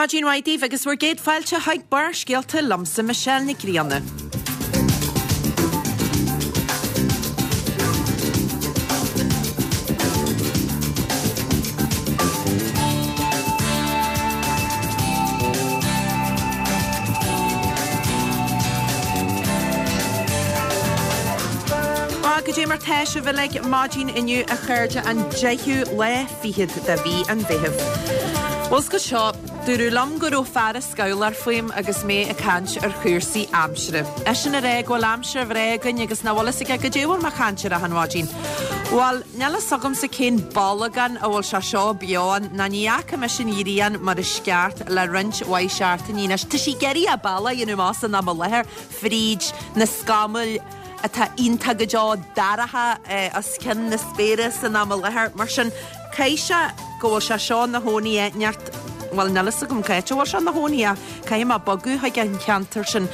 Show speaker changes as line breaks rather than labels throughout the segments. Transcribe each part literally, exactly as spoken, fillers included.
Maidin mhaith daoibh agus bhur gcéad fáilte chuig Barrscéalta liomsa Michelle Nic Grianna. Bhuel, goidé mar tá sibh uilig maidin inniu a chairde an deichiú lá fichead de mhí an Mheithimh. Bhuel, 's go seo, dúradh liom go raibh fear scabhlach fúm agus mé ag caint ar chúrsaí aimsire. Eisean ag rá go bhfuil aimsir bhreá againn agus nach bhfuil fhios aige goidé a bhfuil mé ag caint air achan mhaidin. Bhuel, níl fhios agamsa cén bolgán a bhfuil sé seo beo ann, ná ní fhaca mise an ghrian mar is ceart le roinnt mhaith seachtainí anois. Tá sí ag iarraidh a bealach a dhéanamh amach san am i láthair fríd na scamaill atá iontach go deo dorcha os cionn na spéire san am i láthair. Mar sin, caithfidh sé go bhfuil sé seo ina chónaí áit inteacht, bhuel, níl fhios agam cá háit a bhfuil sé ina chónaí ach caithfidh mé bogadh chuig an cheantar sin,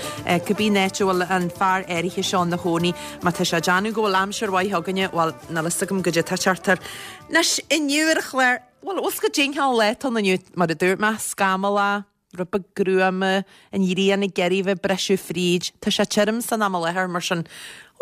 cibé an áit a bhfuil an fear áirithe seo ina chónaí. Má tá sé ag déanamh go bhfuil aimsir mhaith againne, bhuel, níl fhios agam goidé atá ag teacht air. Anois, inniu ar an chlár, bhuel, bhfuil fhios agat goidé an cineál lá atá ann inniu, mar a dúirt mé, scamallach, rud beag gruama, an ghrian ag iarraidh bheith ag briseadh fríd. Tá sé tirim san am i láthair, mar sin,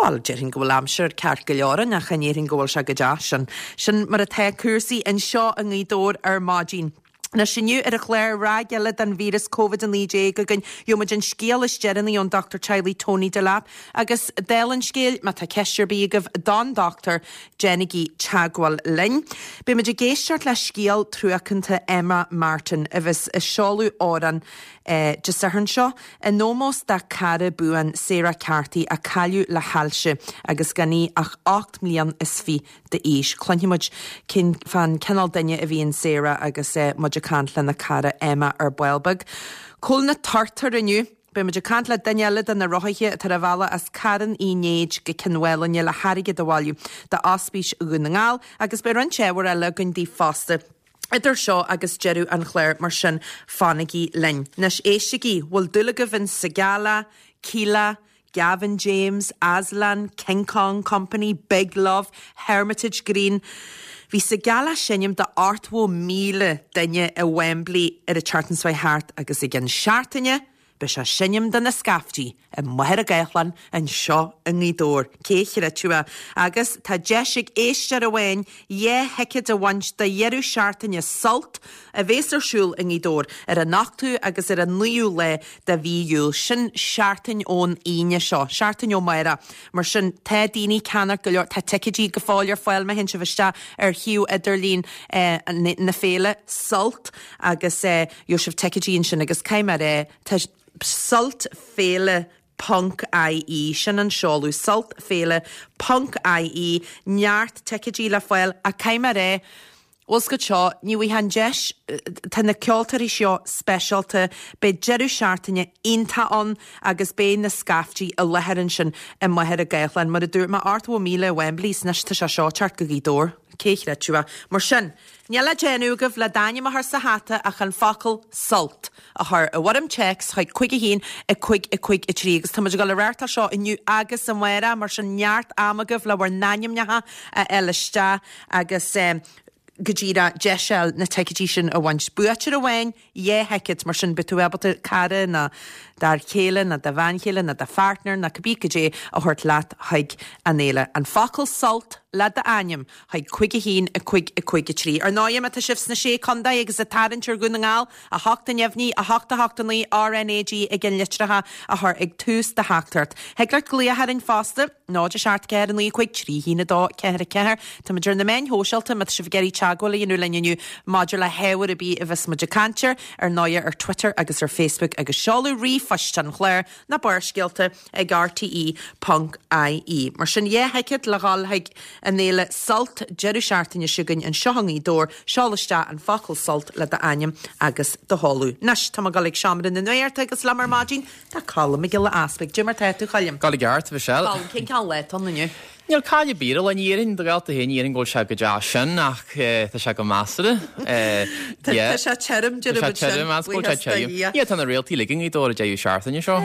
bhuel, déarfainn go bhfuil aimsir ceart go leor ann, ach ní dhéarfainn go bhfuil sé go deas. Sin, sin mar atá cúrsaí anseo i nGaoth Dobhair ar maidin. Anois inniu ar an chlár, ráig eile den víreas Covid a naoi déag againn. Gheobhaidh muid an scéal is deireanaí ón dochtúir teaghlaigh Tony Delap. Agus dála an scéil, má tá ceist ar bith agaibh don dochtúir, déanaigí teagmháil linn. Beidh muid ag éisteacht le scéal truacánta Emma Martin a bheas ag seoladh amhrán Dé Sathairn seo in ómós dá cara buan Sarah Carthy a cailleadh le hailse agus gan í ach ocht mblian is fiche d'aois. Cluinfidh muid cén fán cineál duine a bhí in Sarah agus muid ag caint lena cara Emma ar ball beag. Cá bhfuil na turtair inniu? Beidh muid ag caint le duine eile de na rothaithe atá ar a bhealach as Carn Uí Néid go Cionn Mhálanna le hairgead a bhailiú d'Ospís Dhún na nGall agus beidh roinnt ábhar eile againn daoibh fosta idir seo agus deireadh an chláir, mar sin fanaigí linn. Anois éistigí, bhfuil dúil agaibh in Sigala, Kíla, Gavin James, Aslan, King Kong Company, Big Love, Hermitage Green? Bhí Sigala ag seinm do ochtó míle duine i Wembley ar an tseachtain seo thart agus i gcionn seachtaine beidh sé ag seinm do na scaiftí i Machaire Gathlán anseo i nGaoth Dobhair. Cé a chreidfeadh é? Agus tá deis ag éisteoir amháin dhá thicéad a bhaint do dheireadh seachtaine Sult a bhéas ar siúl i nGaoth Dobhair ar an ochtú agus ar an naoú lá de mhí Iúil. Sin seachtain ón Aoine seo, seachtain ó amárach. Mar sin, tá daoine ag ceannacht go leor, tá ticéidí go fóill ar fáil má théann sibh isteach ar shuíomh idirlín na féile, Sult, agus gheobhaidh sibh ticéidí ansin agus caithfidh mé a rá, tá Sult Féile ponc IE, sin an seoladh, Sult Féile ponc IE, neart ticéidí le fáil ach caithfidh mé a rá, bhfuil 's agat seo, ní bhfaighfeá an deis, tá na ceoltóirí seo speisialta, beidh deireadh seachtaine iontach ann agus beidh na scaiftí i láthair ansin i Machaire Gathlán. Mar a dúirt mé, ochtó míle i Wembley, 's anois tá sé seo ag teacht go Gaoth Dobhair, cé a chreidfeadh é. Mar sin, níl le déanamh agaibh le d'ainm a chur sa hata ach an focal 'Sult' a chur i bhfoirm téacs chuig cúig a haon, a cúig, a cúig, a trí agus tá muid ag dul a reáchtáil seo inniu agus amárach, mar sin neart ama agaibh le bhur n-ainmneacha a fháil isteach agus go díreach deis a fháil na ticéidí sin a bhaint. Buaiteoir amháin, dhá thicéad, mar sin beidh tú ábalta cara nó d'fhear céile nó do bhean chéile nó do pháirtneir nó cibé goidé a thabhairt leat chuig an fhéile. An focal 'Sult' le d'ainm chuig cúig a haon, a cúig, a cúig, a trí. Ar ndóigh, má tá sibh sna Sé Contae agus ag tarraingt ar Dhún na nGall, a hocht a neamhní, a hocht a hocht a naoi, RnaG ag an litreacha a chur ag tús do theachtaireacht. Thig leat glaoch orainn fosta, náid a seacht ceathair a naoi cúig trí haon a dó ceathair a ceathair. Tá muid ar na meáin shóisialta má tá sibh ag iarraidh teagmháil a dhéanamh linn inniu maidir le hábhar ar bith a bheas muid ag caint air, ar ndóigh ar Twitter agus ar Facebook agus seoladh ríomhphoist an chláir, na Barrscéalta ag rte ponc ie. Mar sin dhá thicéad le dhul chuig an fhéile Sult deireadh seachtaine seo chugainn anseo i nGaoth Dobhair, seol isteach an focal Sult le d'ainm agus do sheoladh. Anois, tá mé ag dul ag seomra na nuachta agus liom ar maidin tá Colm Mac Giolla Easpaig. Goidé mar tá tú, Choilm?
Go i gceart, Michelle.
Colm, cén cineál lá atá ann inniu?
Níl caill ar bith air, ní dhéarfainn do dhalta féin, ní dhéarfainn go bhfuil sé go deas sin ach tá sé go measartha.
Tá sé tirim,
Tá sé tirim, as go bhfuil sé tirim. Yeah, tá na réaltaí uilig i nGaoth Dobhair an deireadh seachtaine seo.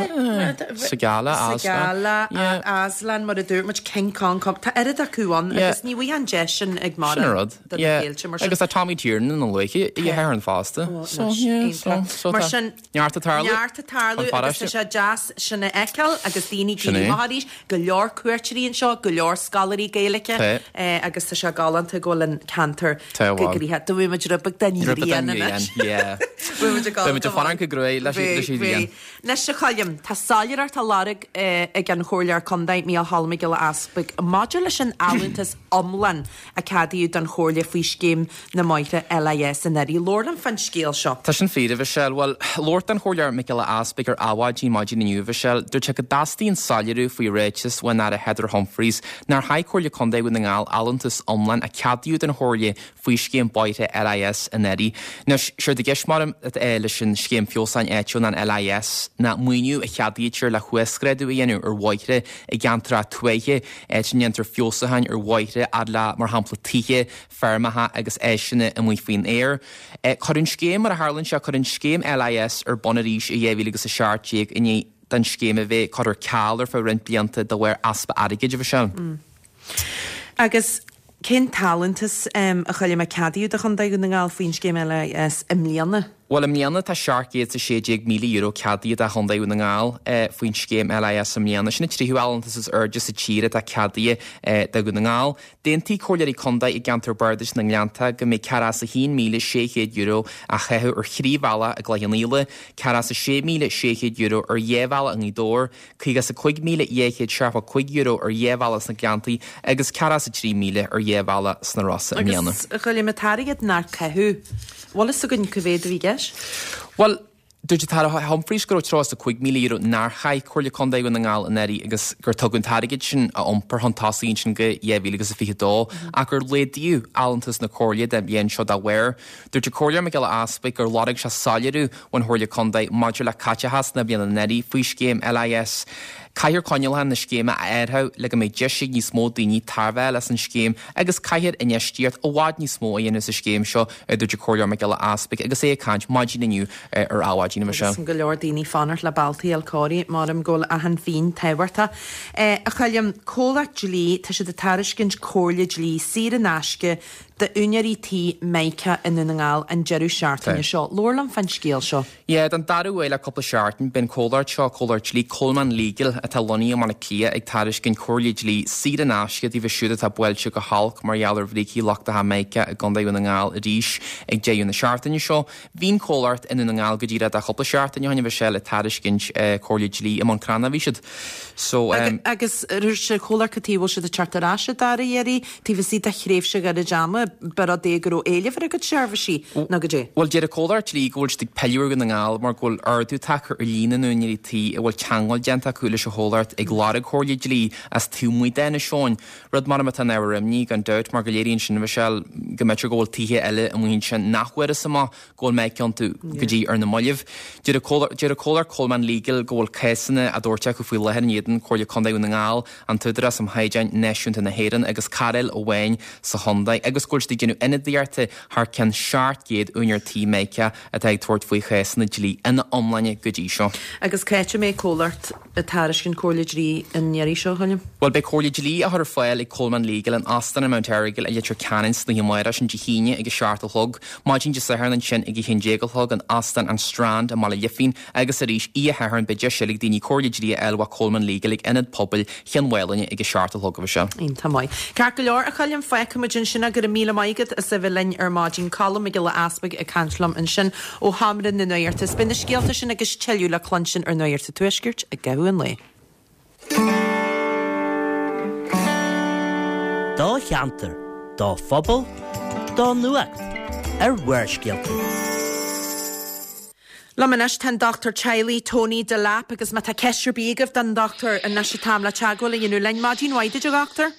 Segala,
Aslan. Segala, Aslan, mar a dúirt muid, King Kong, tá oiread acu ann agus ní bhfuil an deis sin ag
Sin an rud.
do na féilte mar sin.
Agus tá Tommy Tiernan ina luaithe oíche Shathairn fosta. So, yeah, so, so
Mar sin,
neart ag tarlú.
Neart ag tarlú agus tá sé deas sin a fheiceáil agus daoine ag éirí amach arís, go leor cuairteoirí anseo, go leor scoláirí Gaeilge agus tá sé galánta go bhfuil an ceantar go gnoitheach. Do bhí muid rud beag den ghrian anois.
Bhí muid ag fanacht go groí leis an ghrian.
Anois a Choilm, tá soiléireacht á lorg ag an Chomhairleoir Contae Mícheál Cholm Mac Giolla Easpaig maidir leis an allúntas iomlán a ceadaíodh don Chomhairle faoi scéim na mbóithre LIS anuraidh. Labhair liom fán scéal seo.
Tá sin fíor, a Mhichelle. Bhuel, labhairt don Chomhairleoir Mac Giolla Easpaig ar Adhmhaidin maidin inniu, a Mhichelle, dúirt sé go dteastaíonn soiléiriú faoi ráiteas ón Aire Heather Humphreys nár chaith Comhairle Contae Dhún na nGall allúntas iomlán a ceadaíodh don Chomhairle faoi scéim bóithre LIS anuraidh. Anois, séard i gceist maram leis an scéim feabhsúcháin áitiúil ná an LIS ná maoiniú a cheadaítear le huasghrádú a dhéanamh ar bhóithre i gceantracha tuaithe, áit a ndéantar feabhsúcháin ar bhóithre fhad le, mar shampla, tithe, feirmeacha agus áiseanna amuigh faoin aer. Cuireadh an scéim, mar a tharlaíonn sé, cuireadh an scéim LIS ar bun arís i dhá mhíle agus a seacht déag i ndiaidh don scéim a bheith curtha ar ceal ar feadh roinnt blianta de bharr easpa airgid, a Mhichelle.
Agus cén t-allúntas a Choilm a ceadaíodh do Chontae Dhún na nGall faoin scéim LIS i mbliana?
Bhuel, i mbliana tá seacht gcéad is a sé déag míle euro ceadaithe do Chontae Dhún na nGall faoin scéim LIS i mbliana. Sin an tríú allúntas is airde sa tír atá ceadaithe do Dhún na nGall. D'aontaigh Comhairleoirí Contae i gceantar Bardais na nGleannta go mbeidh ceathracha is a haon míle sé chéad euro á chaitheamh ar thrí bhealach i gCloich Cheann Fhaola, ceathracha is a sé míle sé chéad euro ar dhá bhealach i nGaoth Dobhair, caoga is a cúig míle dhá chéad seachtó cúig euro ar dhá bhealach sna Gleanntaí agus ceathracha is a trí míle ar dhá bhealach sna Rosa i mbliana.
Agus, a Choilm, an t-airgead nár caitheadh, bhfuil fhios againn cá mhéad a bhí i gceist?
Bhuel, dúirt an tAire Humphreys go raibh tríocha is a cúig míle euro nár chaith Comhairle Contae Dhún na nGall anuraidh agus gur tugadh an t-airgead sin a iompar chun tosaigh ansin go dhá mhíle agus a fiche dó ach gur laghdaíodh allúntas na Comhairle don bhliain seo dá bharr. Dúirt an Comhairleoir Mac Giolla Easpaig gur lorg sé soiléiriú ón Chomhairle Contae maidir le caiteachas na bliana anuraidh faoi scéim LIS. Caithfear coinníollacha na scéime a athrú le go mbeidh deis ag níos mó daoine tairbhe a fháil as an scéim agus caithfear infheistíocht i bhfad níos mó a dhéanamh sa scéim seo, a dúirt an Comhairleoir Mac Giolla Easpaig agus é ag caint maidin inniu ar Adhmhaidin.
Agus go leor daoine fanacht le bealtaí a fháil cóirithe, maram go bhfuil achan phingin tábhachtach. A Choilm, comhlacht dlí, tá siad ag tairiscint comhairle dlí saor in aisce d'úinéirí tí Mica i nDún na nGall an deireadh seachtaine seo. Labhair liom fán scéal seo.
Yeah, don dara huair le cúpla seachtain, beidh an comhlacht seo, comhlacht dlí Coleman Legal, atá lonnaithe i mBaile Átha Cliath, ag tairiscint comhairle dlí saor in aisce daofa siúd atá buailte go holc mar gheall ar bhrící lochtacha Mica i gContae Dhún na nGall arís ag deireadh na seachtaine seo. Bhí an comhlacht i nDún na nGall go díreach cúpla seachtain ó shin, a Mhichelle, ag tairiscint comhairle dlí i mBun Cranncha a bhí siad. So, um.
Agus dúirt an comhlacht cad chuige a bhfuil siad ag teacht ar ais an dara iarraidh, taobh istigh de thréimhse ghairid ama, ba rud é go raibh éileamh ar a gcuid seirbhísí, nó goidé?
Bhuel, deir an comhlacht dlí go bhfuil siad ag pilleadh ar Dhún na nGall mar go bhfuil ardú tagtha ar líon na n-úinéirí tí a bhfuil teagmháil déanta acu leis an chomhlacht ag lorg comhairle dlí as taobh amuigh d'Inis Eoghain. Rud maram atá ina ábhar imní, gan dabht, mar go léiríonn sin, a Mhichelle, go mb'fhéidir go bhfuil tithe eile amuigh ansin nach bhfuarthas amach go bhfuil Mica iontu go dtí ar na mallaibh. Deir an comhlacht Coleman Legal go bhfuil cásanna á dtabhairt acu faoi láthair in éadan Comhairle Contae Dhún na nGall, an tÚdarás um Chaighdeáin Náisiúnta na hÉireann agus cairéil amháin sa chontae agus go bhfuil siad ag déanamh ionadaíochta thar ceann seacht gcéad úinéir tí Mica atá ag tabhairt faoi chásanna dlí ina iomláine go dtí seo.
Agus cá háit a mbeidh comhlacht ag tairiscint comhairle dlí an iarraidh seo, a Choilm?
Bhuel, beidh comhairle dlí á chur ar fáil ag Coleman Legal in Óstán an Mount Errigal i Leitir Ceanainn san oíche amárach, sin Dé hAoine ag a seacht a chlog, maidin Dé Sathairn ansin ag a haon déag a chlog in Óstán an Strand i mBaile Lifín agus arís oíche Shathairn beidh deis eile ag daoine comhairle dlí a fháil ó Coleman Legal ag Ionad Pobail Chionn Mhálanna ag a seacht a chlog a Mhichelle.
Iontach maith. Ceart go leor, a Choilm, fágfaidh muid ansin é. Go raibh míle maith agat as a bheith linn ar maidin. Colm Mac Giolla Easpaig ag caint liom ansin ó Sheomra na Nuachta. Is beidh na scéalta sin agus tuilleadh le cluinstin ar Nuacht an Tuaiscirt i gcaitheamh an lae.
Do cheantar, do phobal, do nuacht ar Bharrscéalta.
Liom anois tá an dochtúir teaghlaigh Tony Delap agus má tá ceist ar bith agaibh don dochtúir anois an t-am le teagmháil a dhéanamh linn. Maidin mhaith duit a dhochtúir.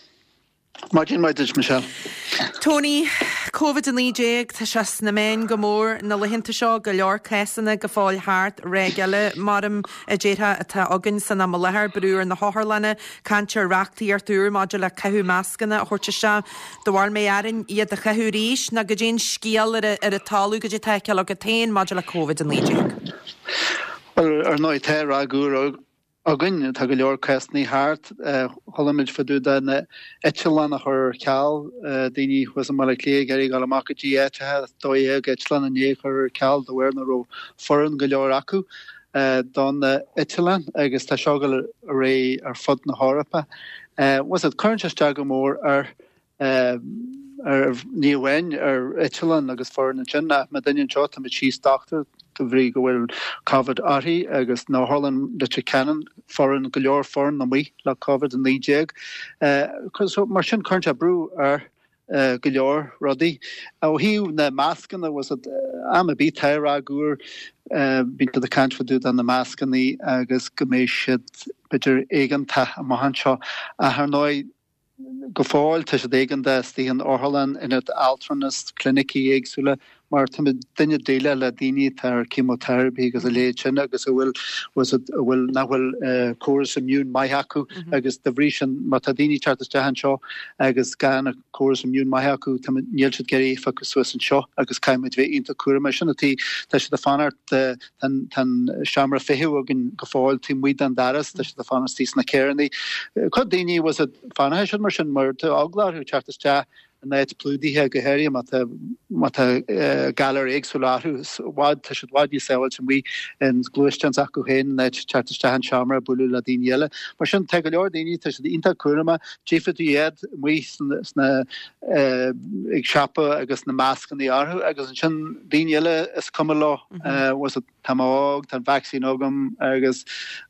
Maidin mhaith duit, Michelle.
Tony, Covid a naoi déag, tá sé sna meáin go mór na laethanta seo, go leor cásanna go fóill thart, ráig eile mar a déarfá atá againn san am i láthair, brú ar na hotharlanna, caint ar reachtaíocht úr maidir le caitheamh mascanna a thabhairt isteach. Do bharúil mbeidh orainn iad a chaitheamh arís nó goidé an scéal ar an talamh goidé atá á fheiceáil agat féin maidir le Covid a naoi déag.
Bhuel, ar ndóigh tá ráig úr againn, tá go leor cásanna thart. Chuala muid fá dtaobh de na eitleáin a chur ar ceal, daoine thuas i mBaile Átha Cliath ag iarraidh dul amach go dtí áiteacha, dó dhéag eitleán inné a chur ar ceal de bharr nach raibh foireann go leor acu don na eitleáin agus tá seo ag dul ar aghaidh ar fud na hEorpa. Bhfuil a fhios agat, cuireann sé isteach go mór ar ar ní amháin ar eitleán agus foireann ansin ach má duine anseo táimid síos dochtúir de bhrí go bhfuil Covid uirthi agus in Otharlann Leitir Ceanainn foireann go leor foireann amuigh le Covid a naoi déag. So mar sin cuireann sé brú ar go leor rudaí. Ó thaobh na mascanna bhfuil a fhios agat am ar bith tá ráig úr bíonn siad ag caint fá dtaobh de na mascanna agus go mbeidh siad b'fhéidir éigeantach amach anseo ach ar ndóigh Go fóill, tá siad éigeantach istigh in otharlann, ionad altranais, clinicí éagsúla, mar táimid duine déileáil le daoine atá ar chemotherapy agus a leithéid sin agus a bhfuil, a bhfuil, nach bhfuil córas immune maith acu agus de bhrí sin má tá daoine ag teacht isteach anseo agus gan córas immune maith acu, táimid, níl siad ag iarraidh é a phiocadh suas anseo agus caithfimid bheith iontach cúramach. Sin an tuige, tá siad ag fanacht, Tá an seomra feithimh againn go fóill taobh amuigh den doras, tá siad ag fanacht istigh sna carrannaí. Cuid daoine bhfuil a fhios agat fanfaidh siad mar sin mar tá eagla orthu teacht isteach in áit plódaithe go háirithe má tá má tá galair éagsúla orthu i bhfad tá siad i bhfad níos sábháilte amuigh in gluaisteán s'acu féin in áit teacht isteach in seomra bualadh le daoine eile. Mar sin tá go leor daoine tá siad iontach cúramach, tchífidh tú iad amuigh sna ag siopa agus na mascannaí orthu agus ansin daoine eile is cuma leo bhfuil a fhios agat tá mé óg, tá an vacsaín agam agus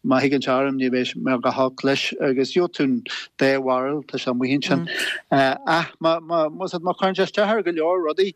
má thigeann sé orm ní bheidh mé go holc leis agus gheobhaidh tú an dá bharúil, tá sé amuigh ansin. Ach má má má má chuireann sé isteach ar go leor rudaí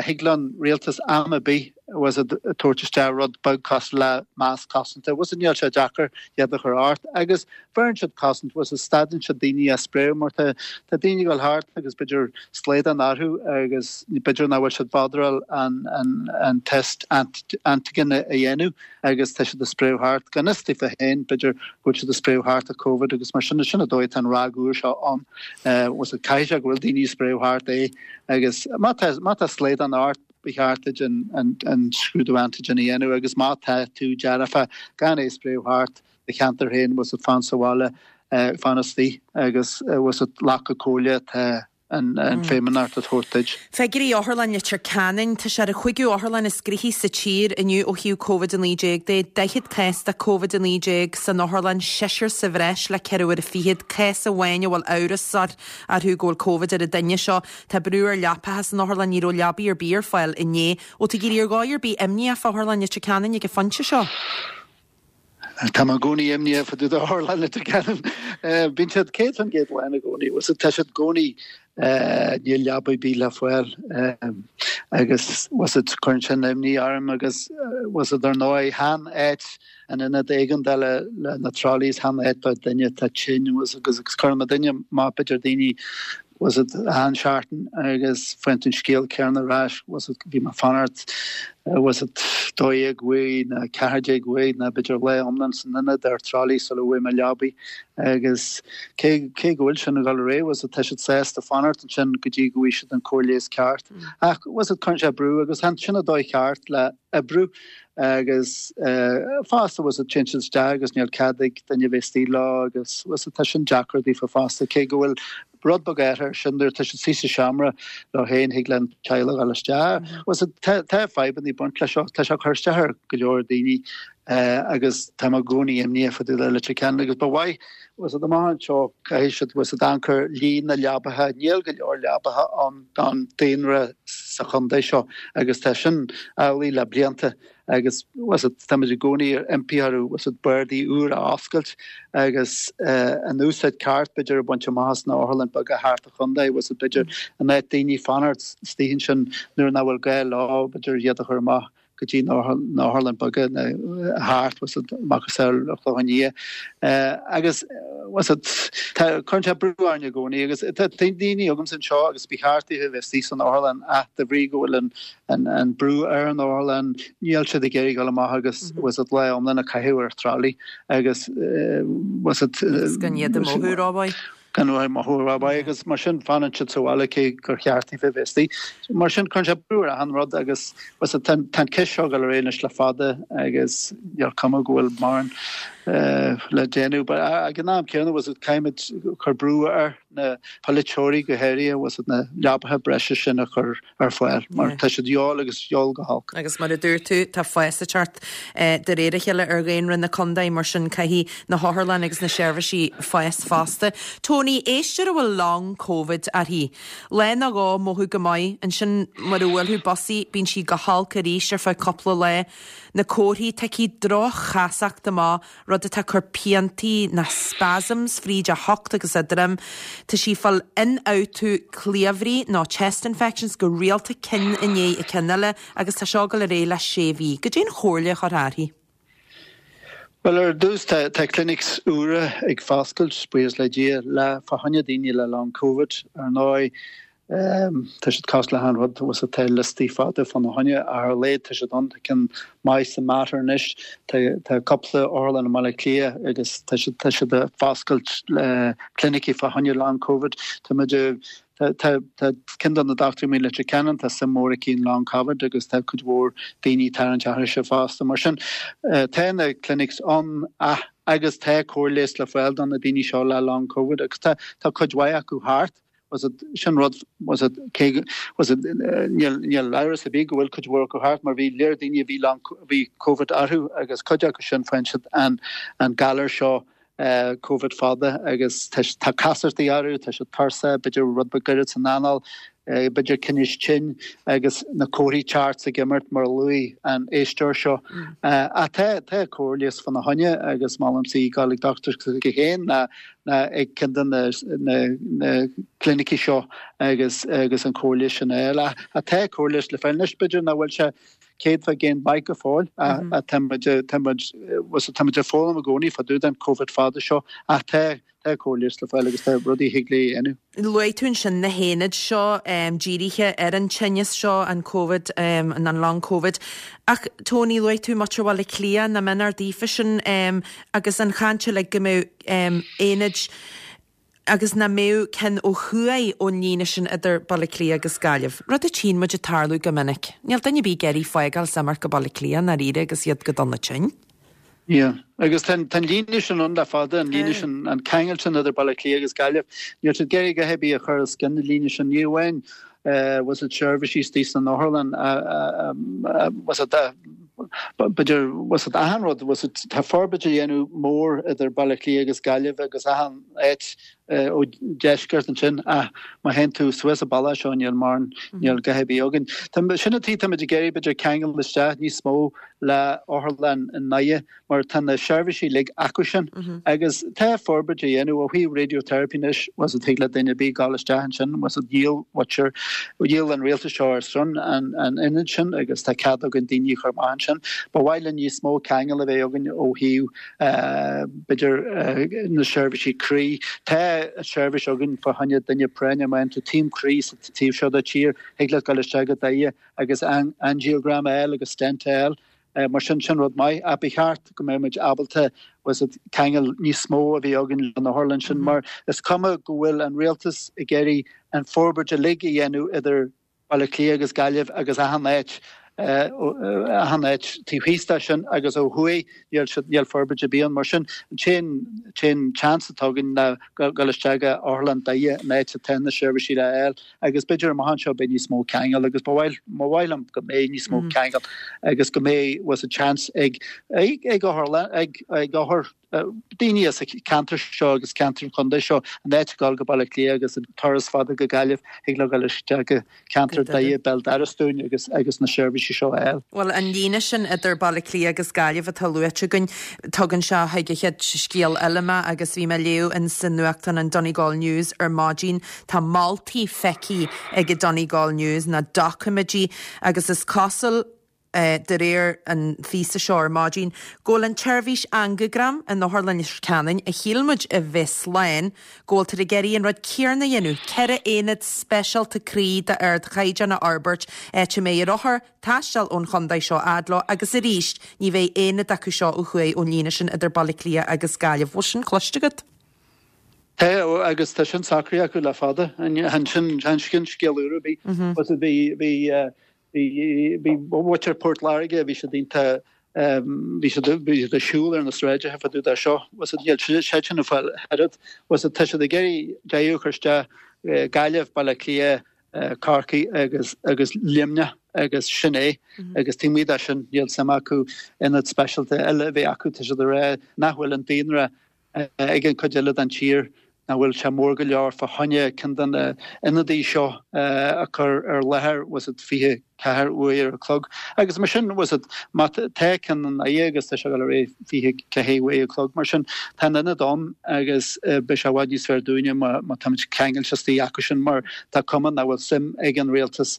thig le an rialtas am ar bith bhfuil a fhios agat tabhairt isteach rud beag cosúil le masc cosanta, bhfuil a fhios agat níl sé deacair iad a chur ort agus bheireann siad cosaint, bhfuil a fhios agat stadann siad daoine as spréadh mar tá tá daoine ag dul thart agus b'fhéidir slaghdán orthu agus b'fhéidir nach bhfuil siad botheráil an an an test antigen a dhéanamh agus tá siad ag spréadh thart gan fhios daofa féin b'fhéidir go bhfuil siad ag spréadh thart an Covid agus mar sin sin an dóigh atá an ráig úr seo ann bhfuil a fhios agat caithfidh sé go bhfuil daoine ag spréadh thart é agus má tá má tá slaghdán ort ba cheart duit an an scrúdú antigen a dhéanamh agus má tá tú dearfa gan é a spréadh thart do cheantar féin bhfuil a fhios agat fan sa bhaile fan istigh agus bhfuil a fhios agat glacadh comhairle atá an Feidhmeannacht ag tabhairt duit.
Figiúirí Otharlann Leitir Ceanainn, tá sé ar an chúigiú otharlann is gnoithí sa tír inniu ó thaobh Covid a naoi déag de. Daichead cás de Covid a naoi déag san otharlann, seisear sa bhreis le ceithre uaire fichead. Cás amháin a bhfuil amhras orthu go bhfuil Covid ar an duine seo. Tá brú ar leapacha san otharlann, ní raibh leabaí ar bith ar fáil inné. Bhfuil tú ag éirí ar dhóigh ar bith imníoch fá Otharlann Leitir Ceanainn ag an phointe seo?
Tá mé i gcónaí imníoch fá dtaobh d'Otharlann Leitir Ceanainn. Bíonn siad céad faoin gcéad lán i gcónaí. Bhfuil a fhios agat tá siad i gcónaí níl leaba ar bith le fáil agus bhfuil a fhios agat cuireann sin imní orm agus bhfuil a fhios agat ar ndóigh chan áit an ionad éigeandála le na trolleys chan áit do duine atá tinn bhfuil a fhios agat agus cuireann mé duine maith b'fhéidir daoine bhfuil a fhios agat achan seachtain agus faigheann tú an scéal céanna ar ais, bhfuil a fhios agat bhí mé ag fanacht, bhfuil a fhios agat dó dhéag uair nó ceathair déag uair nó b'fhéidir lá iomlán san ionad ar trolley sula bhfuair mé leabaidh agus cé cé go bhfuil sin ag dul ar aghaidh, bhfuil a fhios agat tá siad sásta fanacht ansin go dtí go bhfaighidh siad an cóir leighis ceart. Ach bhfuil a fhios agat cuireann sé brú agus chan sin an dóigh cheart le oibriú agus fosta bhfuil a fhios agat téann siad isteach agus níl cead ag duine bheith istigh leo agus bhfuil a fhios agat tá sin deacair daofa fosta cé go bhfuil rud beag athraithe ar sin nuair atá siad istigh sa seomra leo féin thig le an teaghlach dul isteach. Bhfuil a fhios agat tá fadhbanna ag baint leis seo tá sé ag cur isteach ar go leor daoine agus tá mé i gcónaí imníoch fá dtaobh de Leitir Ceanainn agus ba mhaith bhfuil a fhios agat amach anseo caithfidh siad bhfuil a fhios agat amharc ar líon na leabaithe níl go leor leabaithe ann don daonra sa chontae seo agus tá sin amhlaidh le blianta agus bhfuil a fhios agat táimid i gcónaí ag impí orthu bhfuil a fhios agat bardaí úr a oscailt agus an úsáid ceart b'fhéidir a bhaint amach as na otharlann beaga thart an chontae bhfuil a fhios agat b'fhéidir in áit daoine fanacht istigh ansin nuair nach bhfuil gá leo b'fhéidir iad a chur amach go dtí na hotharlanna beaga thart macasamhail an Chlocháin Liath agus cuireann sé brú orainn i gcónaí agus tá daoine agamsa anseo agus ba cheart daofa bheith istigh san otharlann ach de bhrí go bhfuil an an brú ar an otharlann níl siad ag iarraidh dul amach agus was it lá iomlán a chaitheamh ar trolley agus was it
gan iad ag mothú rómhaith.
Gan ag mothú rómhaith agus mar sin fanann siad sa bhaile cé gur cheart daofa bheith istigh. Mar sin cuireann sé brú ar achan rud agus was it tá an ceist seo ag dul ar aghaidh anois le fada agus níl cuma go bhfuil mórán le déanamh. But ag an am céanna was it caithfimid cur brú ar na polaiteoirí go háirithe was it na leapacha breise sin a chur ar fáil mar tá siad de dhíobháil agus de dhíobháil go holc.
Agus mar a dúirt tú, tá fás ag teacht de réir a chéile ar dhaonra na contae, mar sin caithfidh na hotharlanna agus na seirbhísí fás fosta. Tony, éisteoir a bhfuil long Covid uirthi. Lá nó dhó mothú go maith, ansin mar a bhuailfeadh bus í, bíonn sí go holc arís ar feadh cúpla lá. Na comharthaí, tá aici droch-chasacht amach, rud atá ag cur piantaí ná spasms fríd a hucht agus a droim. Tá sí ag fáil ionfhabhtú cliabhraí nó chest infections go rialta ceann i ndiaidh an chinn eile agus tá seo ag dul ar aghaidh le sé mhí. Goidé an chomhairle a chuirfeá uirthi?
Bhuel ar dtús tá tá clinics úra ag foscailt, buíochas le Dia, le fá choinne daoine le long covid. Ar ndóigh tá siad cosúil le achan rud, was it tá liostaí fada fána choinne ach ar a laghad tá siad ann, tá ceann maith sa Mater anois, tá tá cúpla otharlann i mBaile Átha Cliath agus tá siad tá siad ag foscailt clinicí fá choinne long covid. Tá muid tá tá tá ceann de na dochtúirí i Leitir Ceanainn, tá suim mhór aici in long covid agus tá cuid mhór daoine ag tarraingt uirthise fosta. Mar sin tá na clinics ann ach agus tá cóir leighis le fáil do na daoine seo le long covid agus tá tá cuid mhaith acu thart. Was it sin rud was it cé was it níl níl amhras ar bith go bhfuil cuid mhór acu thart mar bhí léir daoine a bhí long bhí covid orthu agus cuid acu sin faigheann siad an an galar seo uh, covid fada agus tá tá casachtaí orthu tá siad tuirseach b'fhéidir rud beag goirid san anáil uh, b'fhéidir tinneas tinn agus na comharthaí teacht ag imirt mar a luaigh an éisteoir seo. Mm. Uh, ach tá tá cóir leighis fána choinne agus molaimse í dul ag dochtúir s'aici féin ná ná ag ceann de na na na clinicí seo agus agus an cóir leighis sin a fháil. Ach tá cóir leighis le fáil anois b'fhéidir nach bhfuil sé céad faoin gcéad maith go fóill ach tá muid tá muid tá muid ag foghlaim i gcónaí fá dtaobh den Covid fada seo ach tá tá cóir leighis le fáil agus tá rudaí a thig léi a dhéanamh.
Luaigh tú ansin na haonaid seo um, dírithe ar an tinneas seo an COVID um, an long COVID. Ach Tony luaigh tú Mater Bhaile Átha Cliath na mbeadh daofa sin um, agus an chaint le go mbeadh um, aonaid agus nach mbeadh cinn ó thuaidh ón líne sin idir Baile Átha Cliath agus Gaillimh. Rud a tchíonn muid ag tarlú go minic. Níl duine ar bith ag iarraidh fágáil is imeacht go Baile Átha Cliath dáiríre agus iad go dona tinn.
Yeah. Agus tá an líne sin ann le fada an líne sin an ceangal sin idir Baile Átha Cliath agus Gaillimh. Níl siad ag iarraidh a dhath ar bith a chur os cionn na líne sin ní amháin uh, was it seirbhísí istigh san otharlann uh, uh, was it uh, b'fhéidir was it achan rud was it tá forbairt á dhéanamh mór idir Baile Átha Cliath agus Gaillimh agus achan áit ó deisceart ansin ach má théann tú suas an bealach seo níl mar níl a dhath ar bith againn. Sin an tuige táimid ag iarraidh b'fhéidir ceangal isteach níos mó le otharlann i nDoire mar tá na seirbhísí uilig acu sin agus tá forbairt á dhéanamh ó thaobh radiotherapy anois was it thig le duine ar bith dul isteach ansin was it dhíol watcher dhíol an rialtas seo ar son an an ionad sin agus tá cead againn daoine a chur amach ansin. Ba mhaith linn níos mó ceangal a bheith againn ó thaobh b'fhéidir na seirbhísí croí. Tá seirbhís againn fá choinne duine práinne má tá taom croí sa taobh seo den tír thig leat dul isteach go Doire agus an angiogram a fháil agus stent a fháil. Mar sin sin rud maith ach ba cheart go mbeidh muid ábalta was it ceangal níos mó a bheith againn lena otharlann sin mar is cuma go bhfuil an rialtas ag iarraidh an forbairt uilig a dhéanamh idir Baile Átha Cliath agus Gaillimh agus achan áit achan áit taobh thíos de sin agus ó thuaidh níl siad níl forbairt ar bith ann mar sin an t-aon t-aon chance atá againn ná dul isteach go otharlann Doire an áit atá na seirbhísí le fháil agus b'fhéidir amach anseo beidh níos mó ceangal agus ba mhaith ba mhaith liom go mbeidh níos mó ceangal agus go mbeidh was a chance ag ag ag otharlann ag ag othar daoine as an ceantar seo agus ceantar an chontae seo an áit dul go Baile Átha Cliath agus an turas fada go Gaillimh thig leo dul isteach go ceantar Doire béal dorais dúinn agus agus na seirbhísí seo a fháil.
Well an líne sin idir Baile Átha Cliath agus Gaillimh atá luaite againn tugann sé chuig an chéad scéal eile mé agus bhí mé ag léamh in san nuachtán an Donegal News ar maidin tá moltaí feicthe ag an Donegal News na doiciméidí agus is cosúil de réir an phíosa seo ar maidin, go bhfuil an tseirbhís angiogram in Otharlann Leitir Ceanainn, a shíl muid a bheith slán, go bhfuiltear ag iarraidh an rud céanna a dhéanamh, ceithre aonad speisialta croí d'ardchaighdeán a fhorbairt, áit a mbeidh ar othair taisteal ón chontae seo fhad leo agus arís ní bheidh aonad acu seo ó thuaidh ón líne sin idir Baile Átha Cliath agus Gaillimh. Bhfuil sin cloiste agat?
Tá, agus tá sin socraithe acu le fada. Chan sin scéal úr ar bith. Bhí, bhí, bhí, bhí muintir Port Láirge, bhí siad iontach, bhí siad, bhí siad ag siúl ar na sráideacha fá dtaobh de seo. Níl siad sin ag fáil oiread. Tá siad ag iarraidh deireadh a chur isteach Gaillimh, Baile Átha Cliath, Corcaigh agus, agus Luimneach agus sin é. Agus taobh amuigh de sin níl suim acu ionad speisialta eile a bheith acu. Tá siad ag rá nach bhfuil an daonra ag an chuid eile den tír, nach bhfuil sé mór go leor fá choinne ceann de na ionadaí seo a chur ar láthair bhfuil a fhios agat fiche ceathair uair a chlog. Agus mar sin bhfuil a fhios agat má tá ceann i nDoire agus tá sé ag dul ar aghaidh fiche ceathair uair a chlog mar sin tá an ionad ann agus beidh sé i bhfad níos fearr dúinne má má táimid ceangailte istigh acu sin mar tá cuma nach bhfuil suim ag an rialtas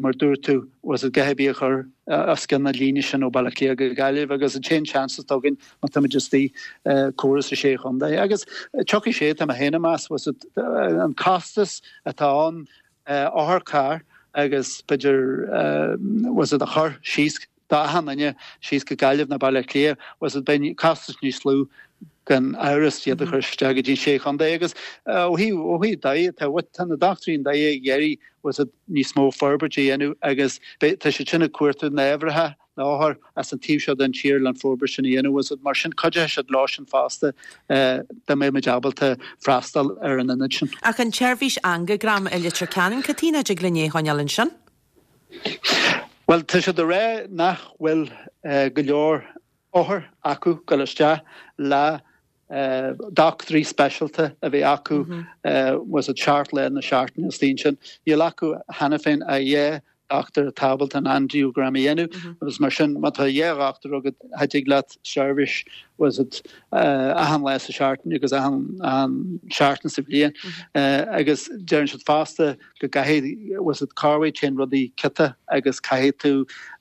mar dúirt tú, bhfuil a fhios agat a dhath ar bith a chur os cionn na líne sin ó Baile Átha Cliath go Gaillimh agus an t-aon seans atá againn má táimid istigh córas i sé chontae. Agus tiocfaidh sé, tá mé féin ag meas, bhfuil a fhios agat an costas atá ann otharcharr agus b'fhéidir bhfuil a fhios agat a chur síos d'achan duine síos go Gaillimh nó Baile Átha Cliath, bhfuil a fhios agat beidh costas níos lú gan amhras iad a chur isteach go dtí an sé chontae agus ó thaobh ó thaobh Doire tá tá na dochtúirí i nDoire ag iarraidh bhfuil a fhios agat níos mó forbairt a dhéanamh agus beidh tá siad sin ag cuartú na n-oibrithe na othair as an taobh seo den tír le an forbairt sin a dhéanamh bhfuil a fhios agat mar sin cuideoidh siad leo sin fosta dá mbeidh muid ábalta freastal ar an ionad sin.
Ach an tseirbhís angiogram i Leitir Ceanainn, cad chuige nach dtig linn é a choinneáil ansin?
Bhuel tá siad ag rá nach bhfuil go leor othar acu dul isteach le dochtúirí speisialta a bheith acu bhfuil a fhios agat seacht lá na seachtaine istigh ansin. Níl acu cheana féin ach dhá dhochtúir atá ábalta an angiogram a dhéanamh agus mar sin má tá dhá dhochtúir agat cha dtig leat seirbhís bhfuil a fhios agat achan lá sa seachtain agus achan achan seachtain sa bhliain agus deireann siad fosta go gcaithfidh bhfuil a fhios agat corruair téann rudaí ciotach agus caithfidh tú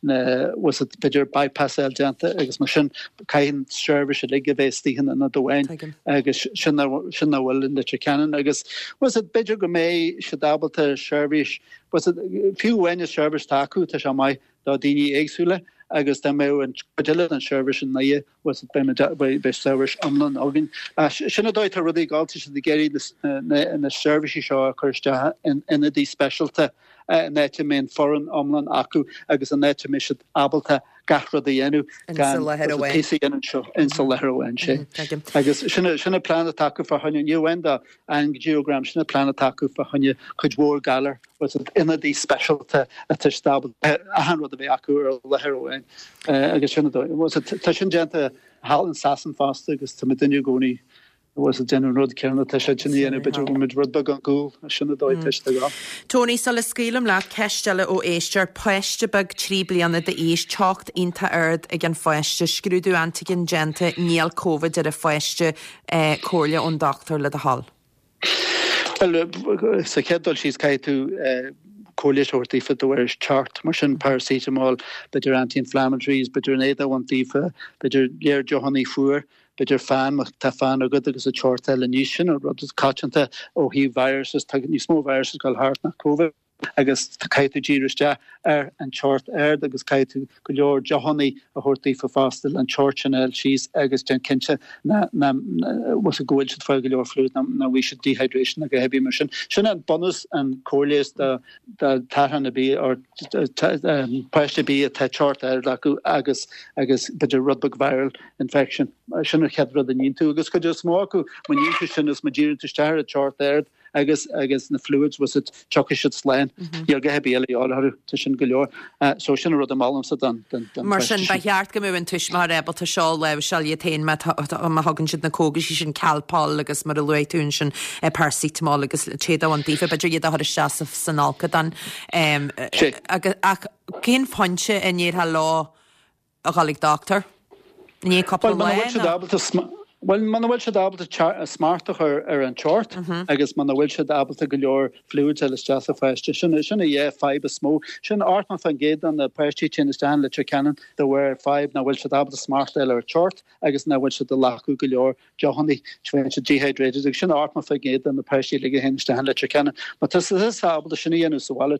na bhfuil a fhios agat b'fhéidir bypass a fháil déanta agus mar sin caithfidh an seirbhís uilig a bheith istigh in ionad amháin agus sin sin nach bhfuil in Leitir Ceanainn agus bhfuil a fhios agat b'fhéidir go mbeidh siad ábalta seirbhís bhfuil a fhios agat fiú amháin an seirbhís atá acu tá sé maith do daoine éagsúla agus dá mbeadh an chuid eile den seirbhís i nDoire bhfuil a fhios agat beidh seirbhís iomlán againn. Sin an dóigh atá rudaí ag dul, tá siad ag iarraidh na seirbhísí seo a chur isteach in ionadaí speisialta in áit a mbeidh an foireann iomlán acu agus in áit a mbeidh siad ábalta gach rud a dhéanamh gan píosa a dhéanamh anseo insa láthair amháin sé. Agus sin sin an plean atá acu fá choinne ní amháin do angiogram, sin an plean atá acu fá choinne cuid mhór galar bhfuil a fhios agat ionadaí speisialta atá ábalta achan rud a bheith acu ar láthair amháin agus sin an dóigh. Bhfuil a fhios agat tá sin déanta thall in Sasain fosta agus tá muidinne i gcónaí bhfuil a fhios agat ag déanamh an rud céanna atá siad sin a dhéanamh, b'fhéidir go bhfuil muid rud beag ar gcúl, sin an dóigh atá siad ag dul.
Tony, sula scaoilim leat, ceist eile ó éisteoir, páiste beag trí bliana d'aois, teocht iontach ard ag an pháiste, scrúdú antigen déanta, níl Covid ar an pháiste, comhairle ón dochtúir le do thoil.
Bhuel, sa chéad dul síos caithfidh tú cóir leighis a thabhairt daofa de bharr teocht, mar sin paracetamol, b'fhéidir anti-inflammatories, b'fhéidir an éadach a bhaint daofa, b'fhéidir léar deochannaí fuar, b'fhéidir fan, má tá fan agat agus an teocht a fháil aníos, sin an rud is coitianta ó thaobh viruses, tá níos mó viruses ag dul thart ná Covid agus caithfidh tú díriú isteach ar an teocht ard agus caithfidh tú go leor deochannaí a thabhairt daofa fosta le an teocht sin a fháil síos agus déan cinnte ná ná bhfuil go bhfuil siad ag fáil go leor fluid ná ná bhfaighidh siad dehydration agus a bheith mar sin. Sin an bunús an cóir leighis do do tharthan ar bith or páiste ar bith atá teocht ard acu agus agus b'fhéidir rud beag viral infection. Sin an chéad rud a níonn tú agus cuid is mó acu má níonn tú sin is má dhíríonn tú isteach ar an teocht ard agus agus na fluids bhfuil a fhios agat tiocfaidh siad slán. Níl a dhath ar bith eile a dhíobháil orthu, tá sin go leor. So sin an rud a mholfainn don don don
Mar sin ba cheart go mbeadh an tuismitheoir ábalta seo a láimhseáil iad féin má má thugann siad na cógaisí sin Calpol agus mar a luaigh tú ansin paracetamol agus téad a bhaint daofa, b'fhéidir iad a chur isteach san fholcadán. Agus ach cén pointe a ndéarfá leo a dhul ag dochtúir? I ndiaidh cúpla
Well,
lá
muna bhfuil siad
nó?
ábalta Bhuel, muna bhfuil siad ábalta smacht a chur ar an tort agus muna bhfuil siad ábalta go leor fluids a fháil isteach sa pháiste, sin sin an dhá fadhb is mó. Sin ochtó faoin gcéad de na páistí a théann isteach in Leitir Ceanainn de bharr fadhb nach bhfuil siad ábalta smacht a fháil ar an tort agus nach bhfuil siad ag glacadh go leor deochanna, bíonn siad dehydrated agus sin ochtó faoin gcéad de na páistí uilig a théann isteach in Leitir Ceanainn. Má tá siad ábalta sin a dhéanamh sa bhaile,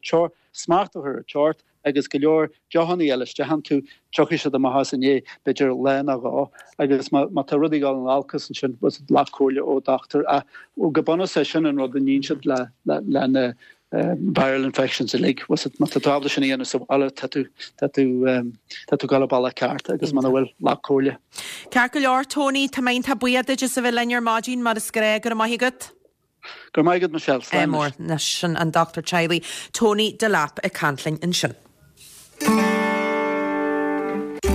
smacht a chur ar an tort agus go leor deochanna a fháil isteach iontu, tiocfaidh siad amach as i ndiaidh b'fhéidir lá nó dhó agus má tá rudaí ag dul in olcas ansin glac comhairle ó dochtúir ach go bunúsach sin an rud a níonn siad le le na viral infections uilig má tá tú ábalta sin a dhéanamh sa bhaile tá tú tá tú tá tú ag dul an bealach ceart agus muna bhfuil glac comhairle.
Ceart go leor Tony, tá mé iontach buíoch duit as a bheith linn ar maidin mar is gnách go raibh maith agat.
Go raibh maith agat Michelle
Slán mór ná sin an dochtúir teaghlaigh Tony Delap ag caint linn ansin.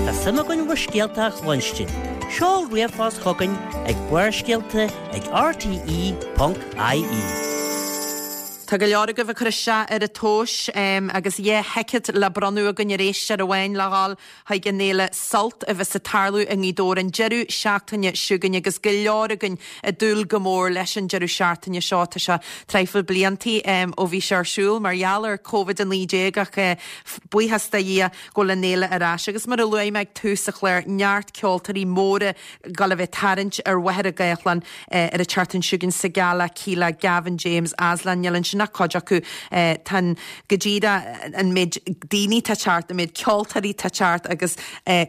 Tá suim againn bhur scéalta a chluinstin. Seol ríomhphost chugainn ag Barrscéalta ag RTE.ie.
Tá go leor agaibh ag cur isteach ar an tomhas um, agus dhá thicéad le bronnadh againn arís ar amháin le dhul chuig an fhéile Sult a bheas ag tarlú i nGaoth Dobhair an deireadh seachtaine seo chugainn agus go leor againn ag dúil go mór leis an deireadh seachtaine seo tá sé traidhfil bliantaí um, ó bhí sé ar siúl mar gheall ar COVID a naoi déag ach uh, buíochas do Dhia go bhfuil an fhéile ar ais agus mar a luaigh mé ag tús an chláir neart ceoltóirí móra ag dul a bheith ag tarraingt ar Mhachaire Gathlán uh, ar an tseachtain seo chugainn Sigala, Kíla, Gavin James, Aslan níl ansin ach cuid acu tá go díreach an méid daoine atá ag teacht, an méid ceoltóirí atá ag teacht agus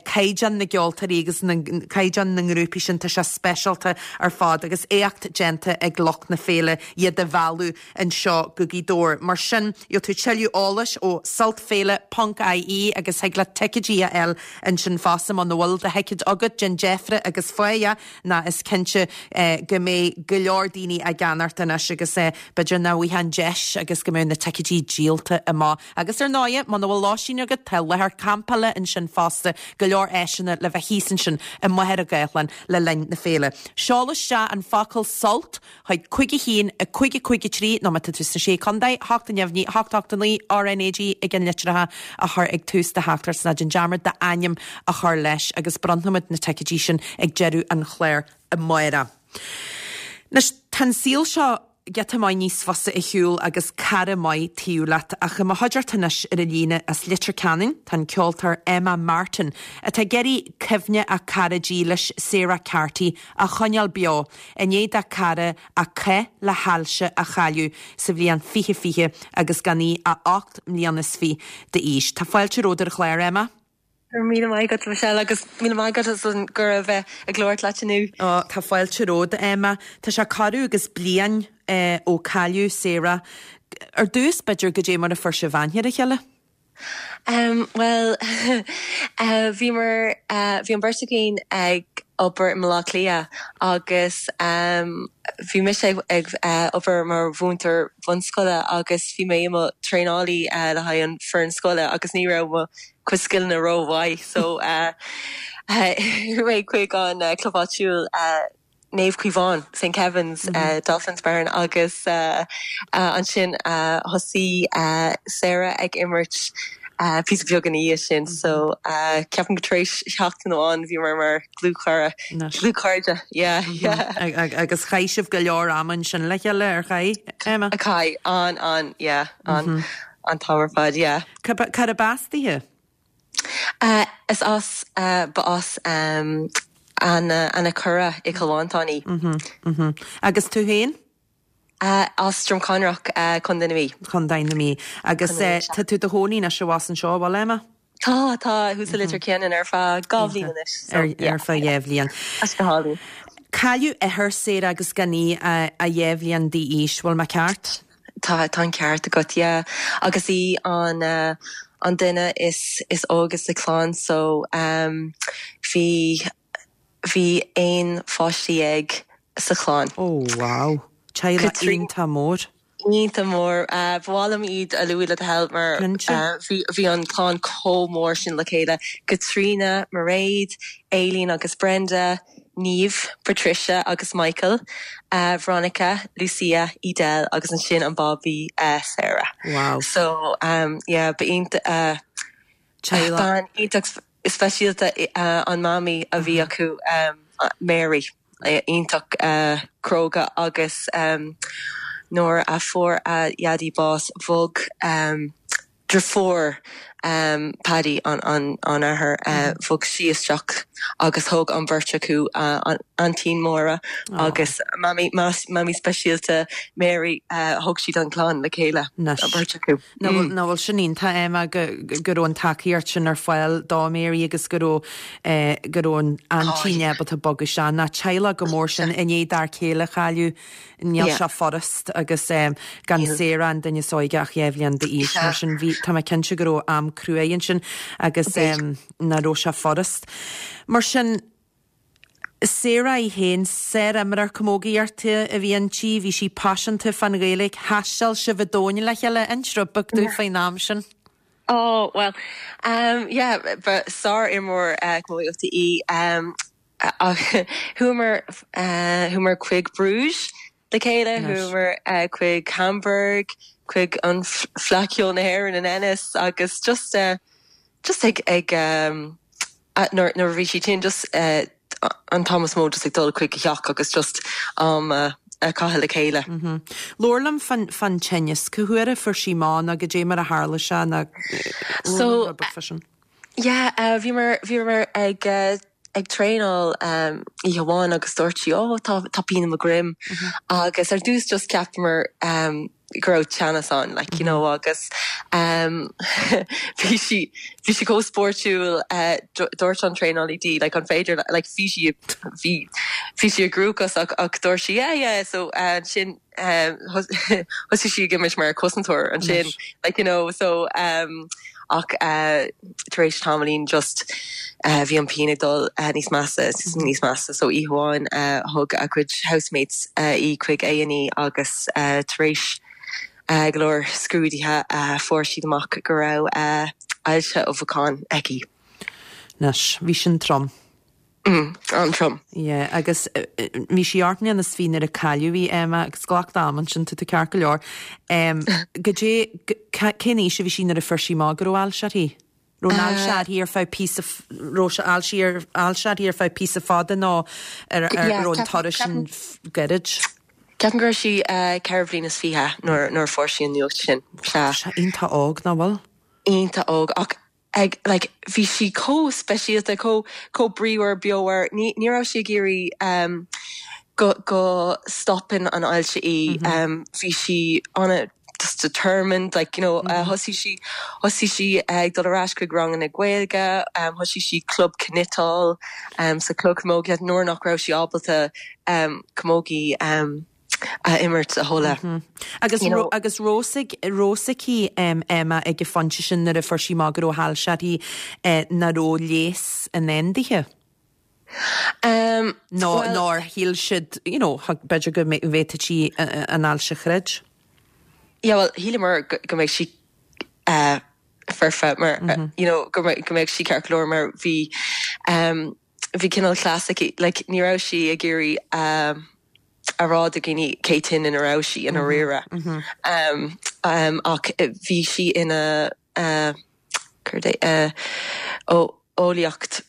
caighdeán na gceoltóirí agus caighdeán na ngrúpaí sin tá sé speisialta ar fad agus éacht déanta ag lucht na féile iad a mhealladh anseo go Gaoth Dobhair. Mar sin gheobhaidh tú tuilleadh eolais ó sultféile.ie agus thig leat ticéidí a fháil ansin fosta muna bhfuil do thicéad agat déan deifre agus faigh ná is cinnte go mbeidh go leor daoine ag ceannacht anois agus b'fhéidir nach bhfaighidh an deis agus go mbeidh na ticéidí díolta amach. Agus ar ndóigh muna bhfuil lóistín agat tá láthair campála ansin fosta go leor áiseanna le bheith thíos ansin i Machaire Gathlán le linn na féile. Seol isteach an focal sult chuig cúig a haon a cúig a cúig a trí nó má tá tú sna sé chontae, hocht a neamhní, hocht hocht a naoi RNAG ag an litreacha a chur ag tús do theachtaireacht ná déan dearmad d'ainm a chur leis agus bronnfaimid na ticéidí sin ag deireadh an chláir amárach. Anois tá an saol seo giota maith níos fusa a shiúl agus cara maith taobh leat ach i mo chuideachta anois ar an líne as Leitir Ceanainn tá an ceoltóir Emma Martin atá ag iarraidh cuimhne a cara dílis Sarah Carty a choinneáil beo i ndiaidh dá cara a cath le hailse a chailleadh sa bhliain fiche fiche agus gan í ach ocht mbliana is fiche d'aois. Tá fáilte romhat ar an chlár Emma?
Míle maith agat Michelle agus míle maith agat as an gcuireadh bheith ag labhairt leat inniu.
Ó tá fáilte romhat Emma, Tá sé corradh agus bliain eh, ó cailleadh Sarah. Ar dtús b'fhéidir goidé mar a fuair sibh aithne ar a chéile?
Um, well uh, bhíomar uh, bhí an bheirt againn ag obair i mBaile Átha Cliath agus um, bhí mise ag, ag uh, obair mar mhúinteoir bunscoile agus bhí mé i mo traenálaí uh, le haghaidh an foireann scoile agus ní raibh mo chuid scileanna rómhaith so uh, mé chuig an uh, club áitiúil uh, Naomh Caomhán St Kevin's mm -hmm. uh, Dolphins Barn agus uh, uh, ansin uh, thosaigh uh, Sarah ag imirt uh, píosa beag ina dhiaidh sin mm -hmm. so uh, ceapaim go tar éis seachtain amháin bhí mar mar dlúthchara dlúthchairde yeah mm -hmm.
yeah agus chaith sibh go leor ama ansin le chéile ar chaith Emma?
A chaith an an yeah an mm -hmm. an t-am ar fad yeah.
Cárb as dithe?
Uh, is as uh, ba as um, an an Cora i gCill Mhantáin í.
Mm -hmm, mm -hmm. Agus tú féin?
Uh, as Droim Conrach uh, Contae na Mí.
Contae na Mí. Agus uh, tá tú i do chónaí anois anseo bhfuil Emma?
Tá tá thuas i Leitir Ceanainn ar feadh dhá bhliain anois.
Ar feadh dhá bhliain.
As go hálainn.
Cailleadh athair Sarah agus gan í ach dhá bhliain d'aois bhfuil mé ceart?
Tá tá an ceart agat yeah. agus í an uh, an duine is is óige sa chlann so um, bhí bhí aon pháiste déag sa chlann.
Oh wow. Teaghlach iontach mór.
Iontach mór uh, ba mhaith liom iad a lua le do thoil mar uh, bhí an clann chomh mór sin le chéile. Katrina, Mairéad, Aileen agus Brenda, Niamh, Patricia agus Michael, uh, Veronica, Lucia, Edel agus ansin an baby uh, Sarah.
Wow.
So um, yeah, ba uh, bean iontach speisialta uh, an mamaí a bhí acu um, Mary. iontach cróga agus nuair a fuair a dhaidí bás bhog deirfiúr Paddy an an an athair bhog sí isteach agus thóg an bheirt acu an aintín Máire agus mamaí mamaí speisialta Mary thóg siad an clann le chéile an bheirt
acu. Nach bhfuil sin iontach Emma go go raibh an tacaíocht sin ar fáil do Mary agus go raibh go raibh an aintín ábalta bogadh isteach ná teaghlach go mór sin i ndiaidh d'fhear céile a chailleadh níl sé furast agus gan Sarah an duine is óige ach dhá bhliain d'aois mar sin bhí tá mé cinnte go raibh am cruaidh ansin agus nach raibh sé furast. Mar sin Sarah í féin sár-imreoir camógaíochta a bhí inti, bhí sí paiseanta fán Ghaeilge, thaistil sibh an domhan le chéile, inis rud beag dúinn faoin am sin.
Oh well um yeah ba sár-imreoir uh, camógaíochta í um chuamar uh, chuamar chuig Bruges le chéile chuamar uh, chuig Hamburg chuig an Fleadh Cheoil na hÉireann in Ennis agus just uh, just ag ag um, nuair nuair bhí sí tinn just uh, an t-am is mó just ag dul chuig a theach agus just um, uh, a chaitheamh le chéile.
Mm -hmm. Labhair liom fan fan tinneas cá huair a fuair sí amach nó goidé mar a tharla sé na
So yeah, uh, bhíomar bhíomar ag uh, ag traenáil um, oíche amháin agus dúirt sí ó tá tá pian i mo dhroim mm -hmm. agus ar dtús just cheapamar um, go raibh teannas ann like you know agus um, bhí sí bhí sí chomh spórtúil uh, dúirt an traenálaí di like an féidir like bhí sí bhí bhí sí i gcruachás ach ach dúirt sí yeah yeah so uh, sin um, thosaigh sí ag imirt mar cosantóir ansin like you know so um, ach uh, tar éis tamaillín just uh, bhí an pian ag dul uh, níos measa níos measa so oíche amháin uh, thug a cuid housemates uh, í chuig A and E agus uh, tar éis uh, go leor scrúduithe uh, fuair siad amach go raibh uh, ailse ubhacán aici.
Anois, bhí sin trom.
Mm, an-trom.
Yeah, agus bhí sí ocht mbliana is fiche nuair a cailleadh í Emma agus glac d'am ansin tá tú ceart go leor. Um, Goidé cén aois a bhí sí nuair a fuair sí amach go raibh ailse uirthi? Raibh an ailse uirthi ar feadh píosa raibh sé ailse ailse uirthi ar feadh píosa fada nó ar ar an turas sin gairid?
Ceapaim go raibh sí ceithre bliana is fiche nuair nuair fuair sí an nuacht sin.
Sé iontach óg nach bhfuil?
Iontach óg ach ag like bhí sí chomh speisialta chomh chomh bríomhar beomhar ní ní raibh sí ag iarraidh um, go go stopann an ailse í mm -hmm. um, bhí sí an just determined like you know mm -hmm. uh, thosaigh sí thosaigh sí ag dul ar ais chuig ranganna Gaeilge um, thosaigh sí club cniotáil um, sa club camógaíocht nuair nach raibh sí ábalta um, camogie um, a imirt a thuilleadh.
Mm -hmm. Agus you know, agus rosaig rosaí um, Emma ag an phointe sin nuair a fuair sí amach go raibh ailse uirthi eh, nach raibh leigheas i ndán di.
Um,
nó well, nár shíl siad you know, b'fhéidir go bhféadfadh sí an ailse a throid.
Yeah, well, shíleamar go go mbeidh sí uh, foirfe mar mm -hmm. uh, you know, go go mbeidh sí ceart go leor mar bhí um, bhí cineál cleas aici like, ní raibh sí ag iarraidh um, a rá do dhaoine cé tinn ina raibh sí ina rire. Mm -hmm. um, um, ach bhí sí ina uh, uh, eolaíocht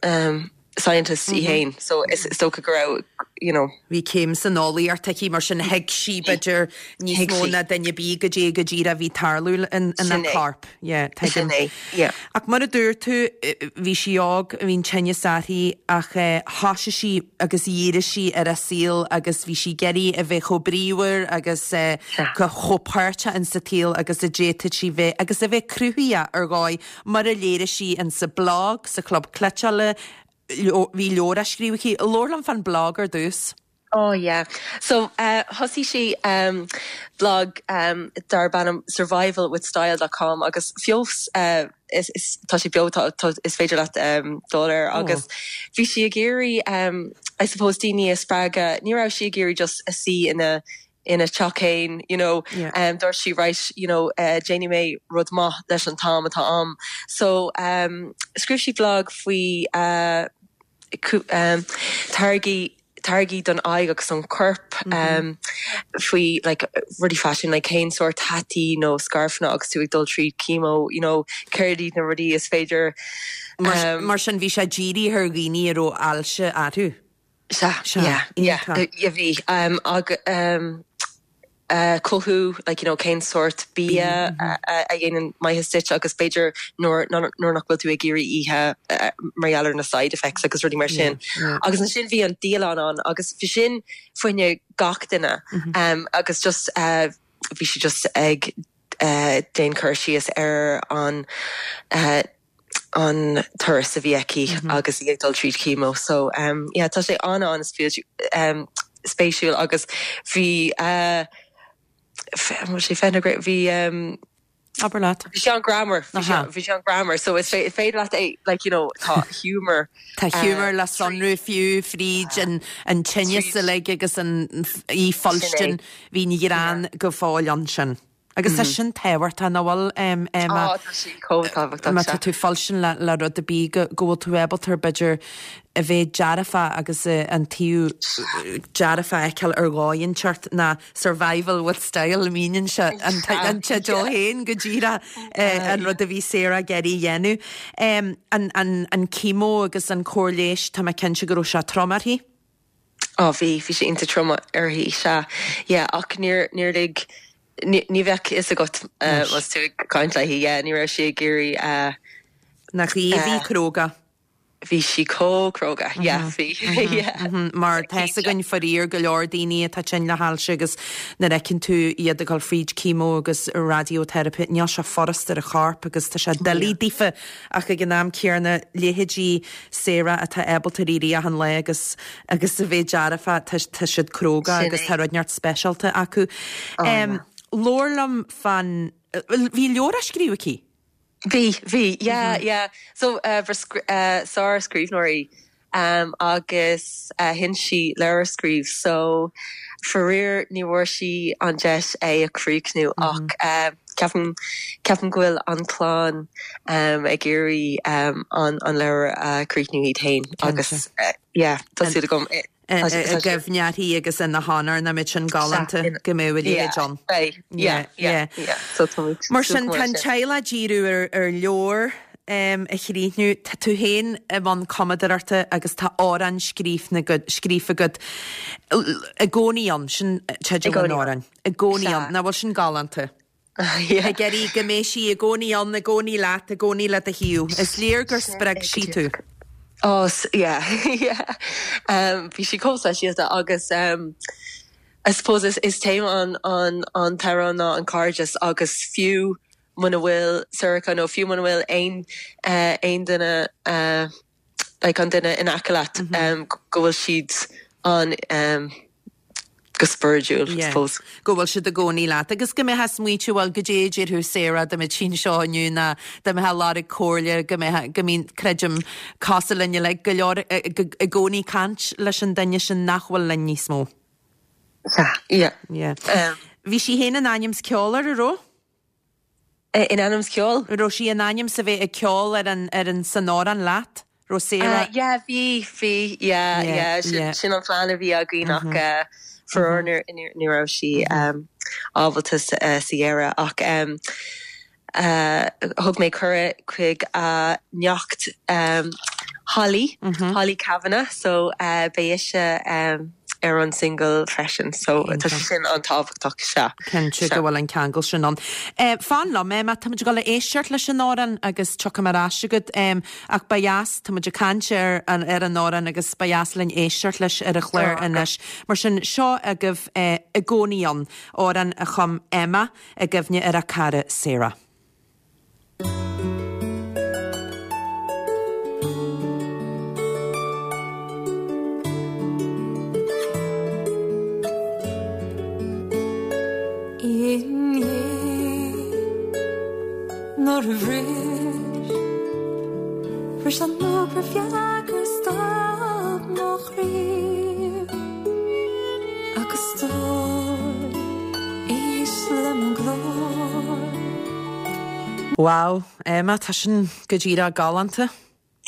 um, scientist í mm -hmm. féin, so is, is dócha go raibh you know.
Bhí céim san eolaíocht aici mar sin thuig sí b'fhéidir níos mó ná duine ar bith goidé go díreach a bhí ag tarlú in ina corp. Ach mar a dúirt tú bhí sí óg bhí an tinneas uirthi ach thosaigh sí agus dhírigh sí ar a saol agus bhí sí ag iarraidh a bheith chomh bríomhar agus chomh páirteach in sa tsaol agus a d'fhéadfadh sí bheith agus a bheith cruthaitheach ar dhóigh mar a léirigh sí in sa blog sa chlub cniotála bhí leabhar á scríobh aici. Labhair liom fan blog ar dtús.
Oh yeah. So uh, thosaigh sí um, blog um, darb ainm survivalwithstyle dot com agus fós uh, is, is, tá sé beo tá, tá, is féidir leat um, dul air oh. agus bhí sí ag iarraidh um, I suppose daoine a spreagadh ní raibh sí ag iarraidh just a suí ina ina teach féin you know yeah. um, dúirt sí right you know uh, déanfaidh mé rud maith leis an t-am atá agam so um, scríobh sí blog faoi uh, um, táirgí táirgí don aghaidh agus don corp mm -hmm. um, faoi like, rudaí fashion like, cén sórt hataí nó scairfeanna agus tú ag dul tríd chemo you know, céard iad na rudaí is féidir
um, mar sin bhí sé dírithe ar dhaoine a raibh ailse orthu.
Sea, yeah, yeah, yeah, bhí. Um, ag, um, uh, cothú, like, you know, cén sórt bia a, a, a dhéanann maitheas duit agus b'fhéidir nuair nuair nach bhfuil tú ag iarraidh ithe uh, mar gheall ar na side effects agus rudaí mar sin.
yeah.
Agus ansin bhí an dialann ann agus bhí sin fá choinne gach duine um, agus just uh, bhí sí just ag uh, déanamh cur síos ar an uh, an turas a bhí aici agus í ag dul tríd chemo. So um, yeah, tá sé an an um, spéisiúil agus bhí uh, sé fe bhí um,
Abair leat.
Bhí sé an-ghreannmhar bhí sé an-ghreannmhar, so is féidir leat é like you know tá humor
Tá humor le sonrú fiú fríd an an tinneas uilig agus an í folsten bhí ní greann go fóill ansin. Agus tá sin tábhachtach nach bhfuil
Á, tá sí chomh tábhachtach
má tá tú folsin le le rud a bí go go bhfuil tú ábalta b'fhéidir a bheith dearfa agus eh, an taobh dearfa a fheiceáil ar dhóigh inteacht ná survival with style míníonn sé an an teideal féin go díreach an rud a bhí Sarah ag iarraidh a dhéanamh. An an an chemo agus an cóir leighis tá mé cinnte go raibh sé trom uirthi?
Á bhí bhí sé iontach trom uirthi sea yeah, ach níor níor lig ní ní bheadh fhios agat uh, más tú ag caint léi yeah, ní raibh sí ag iarraidh uh,
Nach í bhí cróga.
Bhí sí chomh cróga yeah, bhí yeah.
Mar tá againn faraor go leor daoine atá tinn le hailse agus nuair a fheiceann tú iad ag dul fríd chemo agus radiotherapy níl sé furast ar a chorp agus tá sé doiligh daofa ach ag an am céanna leithéidí Sarah atá ábalta éirí achan lá agus agus a bheith dearfa tá tá siad cróga
Sin
agus
é.
tá rud neart speisialta acu.
Oh,
Labhair liom fán bhí leabhar á scríobh aici?
Bhí bhí yeah yeah so uh, uh, sár-scríbhneoir í um, agus uh, shin sí leabhar a scríobh so faraor ní bhfuair sí an deis é a chríochnú ach uh, ceapaim ceapaim go bhfuil an clann um, ag iarraidh um, an an leabhar a chríochnú iad féin agus uh, yeah tá súil agam
I gcuimhne uirthi agus ina honóir na mit sin galánta go mbeidh le John. Mar sin tá teaghlach díriú ar ar leabhar um, a chríochnú tá tú féin i mbun cumadóireachta agus tá amhrán scríofa agat i gcónaí ann sin teideal an amhráin. I gcónaí ann nach bhfuil sin galánta. Ag iarraidh go mbeidh sí i gcónaí ann i gcónaí leat i gcónaí le do thaobh. Is léir gur spreag sí tú.
Oh yeah yeah um, bhí sí chomh speisialta agus um, I suppose is, is téama an an an t-amhrán ná an cairdeas agus fiú muna bhfuil Sorcha nó fiú muna bhfuil aon uh, aon duine uh, like an duine in aice leat mm -hmm. um, go bhfuil siad an um, go spiritual
yeah.
suppose.
Go bhfuil siad i gcónaí leat agus go mbeifeá ag smaointiú bhuel go dé dúirt tú Sarah de tsin seo inniu ná de me lá ag cóirle go go mín creidim casa linne le go leor i gcónaí caint leis an duine sin nach bhfuil linn níos mó.
Yeah.
Yeah. Um, Bhí sí féin in ainm is ceol ar raibh?
In ainm is ceol?
Raibh sí in ainm is a bheith ag ceol ar an ar an san amhrán leat? Raibh Sarah?
Uh, yeah, bhí bhí yeah, yeah, yeah, sin, yeah. sin an plean a bhí againn ach mm -hmm. uh, faraor ní raibh sí um, ábalta uh, sa deireadh ach um, uh, thug mé cuireadh chuig a neacht um, Holly mm -hmm. Holly Kavanagh so uh, beidh sé um, ar an single freisin so tá sin an-tábhachtach sea.
Cinnte go bhfuil an ceangal sin ann. Eh, fan liom é tá go le éisteacht leis an amhrán agus tiocfaidh mé ar ais chugat ach ba dheas tá ag caint ar an ar an amhrán agus ba dheas linn éisteacht leis ar an chlár anois. Mar sin seo agaibh eh, i gcónaí ann amhrán a chum Emma i gcuimhne ar a cara Sarah.
Inné nuair a bhris Bhris an obair bheag gur stop mo chroí Agus stór éist le mo ghlór
Wow, Emma, tá sin go díreach galánta.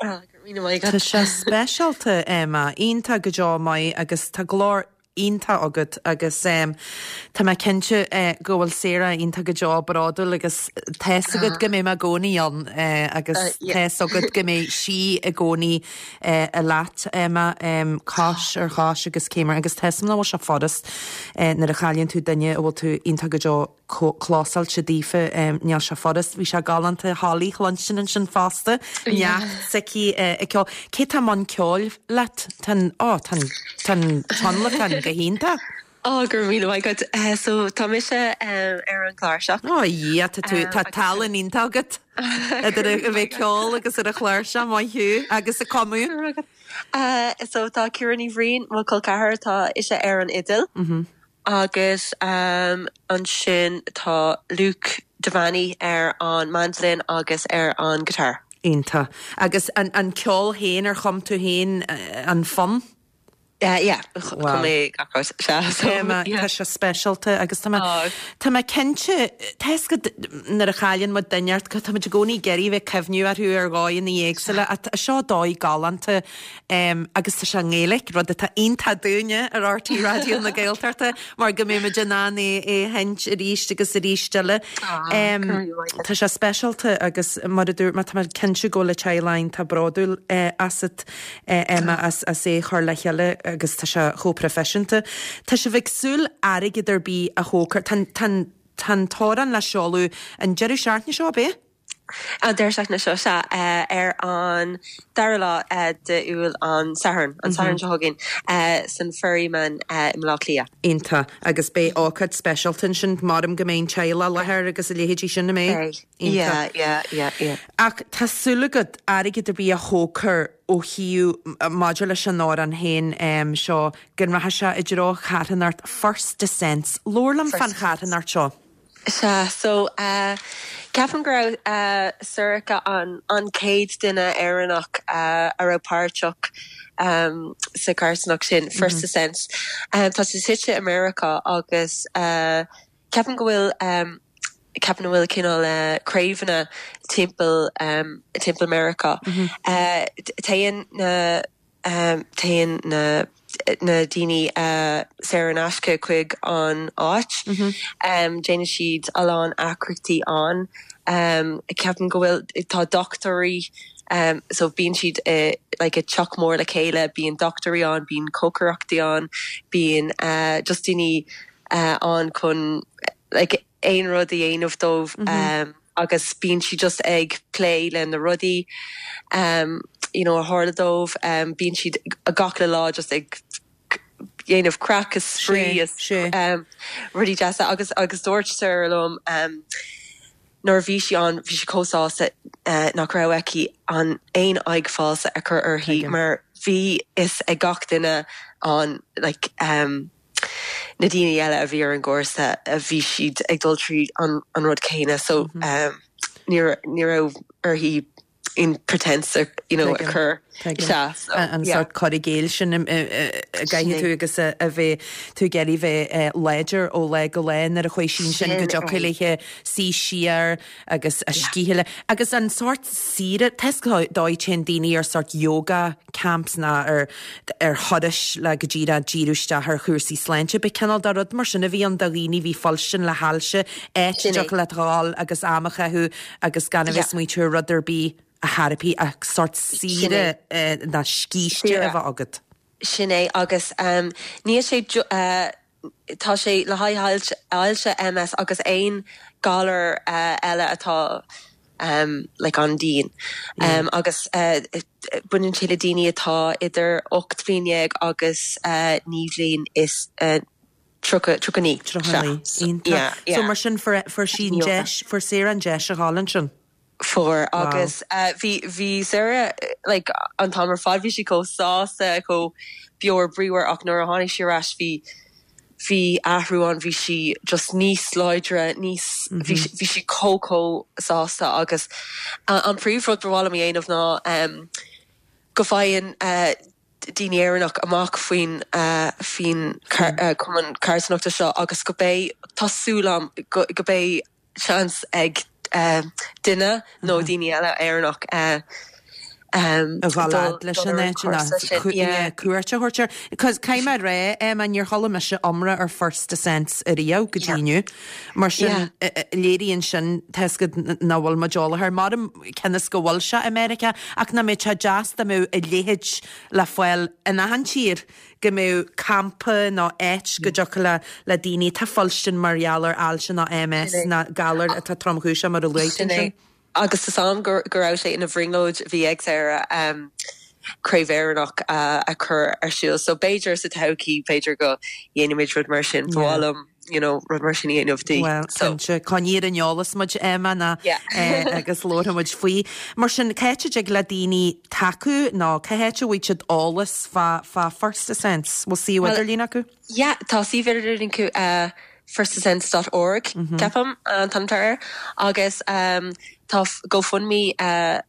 Ah,
Tá sé speisialta Emma, iontach go deo maith agus tá glór iontach agat agus tá mé cinnte go bhfuil Sarah iontach go deo bródúil agus tá's agat go mbeidh mé i gcónaí ann agus tá's agat go mbeidh sí i gcónaí leat Emma cois ar chois agus céim agus tá's agam nach bhfuil sé furast nuair a chailleann tú duine a bhfuil tú iontach go deo clósáilte daofa níl sé furast, bhí sé galánta Holly a chluinstin ansin fosta, neacht s'aici ag ceol. Cé tá i mbun ceoil leat? Tá an, ó, tá an, tá an tionlacan go hiontach.
Ó, go raibh míle maith agat. So tá mise ar an chláirseach.
Ó, a Dhia, tá tú, tá tallann iontach agat idir a bheith ag ceol agus ar an chláirseach, maith thú, agus ag cumadh.
So tá Ciara Ní Bhriain, mo chol ceathar, tá ise ar an fhidil. Agus ansin tá Luke Devaney ar an mandolin agus ar an guitar.
Iontach. Agus an an ceol féin, ar chum tú féin an fonn?
Yeah, chum mé gach rud, sea. So,
Emma, tá sé speisialta agus tá mé, tá mé cinnte, tá fhios agat nuair a chailleann muid duine ort, tá muid i gcónaí ag iarraidh bheith ag cuimhniú orthu ar dhóigheanna éagsúla. Seo dóigh galánta Agus tá sé i nGaeilge, rud atá iontach dúinne ar RTÉ Raidió na Gaeltachta mar go mbeidh muid in ann é a sheinnt arís agus arís eile. Tá sé speisialta agus mar a dúirt mé, tá mé cinnte go bhfuil an teaghlach iontach bródúil asat, Emma, as é a chur le chéile agus tá sé chomh proifisiúnta. Tá sibh ag súil airgead ar bith a thógfar, tá an t-amhrán le seoladh an deireadh seachtaine seo, ab é?
An deireadh seachtaine seo, sea, ar an dara lá d'Iúil, an Satharn, an Satharn seo chugainn, san Ferryman i mBaile Átha Cliath.
Iontach. Agus beidh ócáid speisialta ansin, maram go mbeidh an teaghlach i láthair agus a leithéidí sin, an mbeidh?
Beidh. Yeah, yeah, yeah, yeah.
Ach tá súil agat airgead ar bith a thógfar ó thaobh, maidir leis an amhrán féin seo, go rachaidh sé i dtreo charthanacht First Descents. Labhair liom fán charthanacht seo.
Sea, so ceapaim go raibh Sorcha an an chéad duine Éireannach a raibh páirteach sa charthanacht sin, First Descents. Tá sé suite i Meiriceá agus ceapaim go bhfuil ceapaim go bhfuil cineál craobhanna timpeall timpeall Meiriceá. Téann na Téann na na daoine saor in aisce chuig an áit. Déanann siad a lán eagraíochtaí ann. Ceapaim go bhfuil, tá dochtúirí, so bíonn siad i like i teach mór le chéile, bíonn dochtúirí ann, bíonn cócaireachtaí ann, bíonn just daoine ann chun like aon rud a dhéanamh dóibh agus bíonn siad just ag plé le na rudaí you know a tharla dóibh, bíonn siad gach uile lá just ag dhéanamh craic is spraoi is rudaí deasa agus agus dúirt Sarah liom nuair a bhí sí ann bhí sí chomh sásta nach raibh aici an aon aghaidh falsa a chur uirthi mar bhí fhios ag gach duine ann like na daoine eile a bhí ar an gcúrsa, bhí siad ag dul tríd an rud céanna so ní ní raibh uirthi aon pretense a you know a chur.
Sea, so An sórt cur i gcéill sin a gcaithfidh tú agus a bheith tú ag iarraidh bheith láidir ó lá go lá nuair a chuaigh sí ansin go dtiocfadh léithe suí siar agus a scíth a Agus an sórt saoire, tá 'fhios agat téann daoine ar sórt yoga camps ná ar ar thurais le go díreach díriú isteach ar chúrsaí sláinte. Ba cineál de rud mar sin a bhí ann do dhaoine a bhí ag fuilstin le hailse, áit a dtiocfadh leat a dhul agus am a chaitheamh agus gan a bheith ag smaointiú ar rud ar bith a theiripí ach sórt saoire ná scíste a bheith agat.
Sin é agus níl sé tá sé le haghaidh ailse, MS agus aon galar eile atá like an-dian agus baineann sé le daoine atá idir ocht bhliain dhéag agus naoi bhliain is tríocha, tríocha naoi.
Tríocha naoi. Iontach. So mar sin fuair fuair sí an deis, fuair Sarah an deis a dhul ansin?
Fuair agus bhí bhí Sarah like an t-am ar fad bhí sí chomh sásta, chomh beomhar bríomhar ach nuair a tháinig sí ar ais bhí bhí athrú ann, bhí sí just níos láidre, níos bhí bhí sí chomh chomh sásta agus an príomhrud ba mhaith liom a dhéanamh ná go bhfaigheann daoine Éireannach amach faoin faoin cumann carthanachta seo agus go beidh, tá súil agam go go beidh seans ag duine nó daoine eile Éireannach um,
a dhul fhad leis an áit cuairt a thabhairt air. Cos caithfidh mé a rá Emma níor chuala mise iomrá ar First Ascents ariamh go dtí inniu. Mar sin léiríonn sin tá 'fhios agat nach bhfuil muid eolach air. Maram cionn is go bhfuil sé i Meiriceá ach nach mbeadh sé deas dá mbeadh a leithéid le fáil in achan tír go mbeadh campa nó áit go dtiocfadh le le daoine atá ag fuilstin mar gheall ar ailse nó MS nó galar atá tromchúiseach mar a luaigh tú ansin.
Agus tá am go go raibh sé ina bhrionglóid a bhí ag Sarah um, craobh Éireannach uh, a chur ar siúl, so b'fhéidir sa todhchaí b'fhéidir go dhéanfaimid rud mar sin bhlam you know, rud mar sin dhéanamh dí.
Well, so coinnigh ar an eolas muid Emma na eh, agus labharfaidh muid faoi. Mar sin cá háit a dtig le daoine tacú nó cá háit a bhfaighidh siad eolas fá fá First Ascents, bhfuil suíomh idirlín acu?
Yeah, tá suíomh idirlín acu uh, firstascents.org mm -hmm. ceapaim an t-ainm air agus um, tá GoFundMe uh,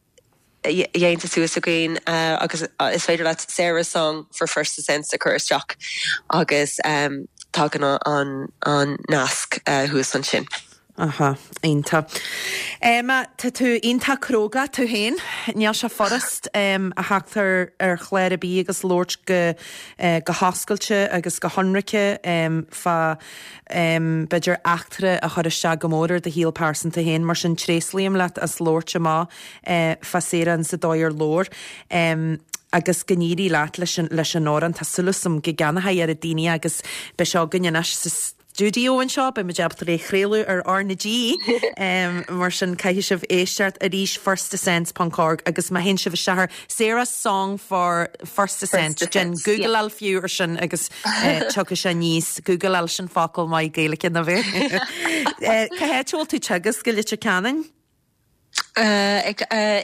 déanta suas againn uh, agus uh, is féidir leat Sarah song for First Ascents a chur isteach agus um, tagann an, an nasc uh, thuas ansin.
Aha, iontach. Emma, tá tú iontach cróga tú féin, níl sé furast um, a theacht ar ar chlár ar bith agus labhairt go, uh, go hoscailte agus go hionraice um, fá um, b'fhéidir eachtra a chuir isteach go mór ar do shaol pearsanta féin, mar sin tréaslaím leat as labhairt amach uh, fá Sarah sa dóigh ar labhair. Um, agus go n-éirí leat leis an, leis an amhrán tá súil agam go gceannóidh ar a daoine agus beidh sé againn anois sa stiúideo anseo, beidh muid ábalta é a chraoladh ar R na G um, mar sin caithfidh sibh éisteacht arís firstascents.org agus má théann sibh isteach ar Sarah Song for First Ascent Déan Googleáil fiú ar sin agus uh, tiocfaidh sé aníos Googleáil sin focal maith Gaeilge na bheith. uh, Cá háit a bhfuil tú ag teagasc go Leitir Ceanainn?
Uh, ag, uh,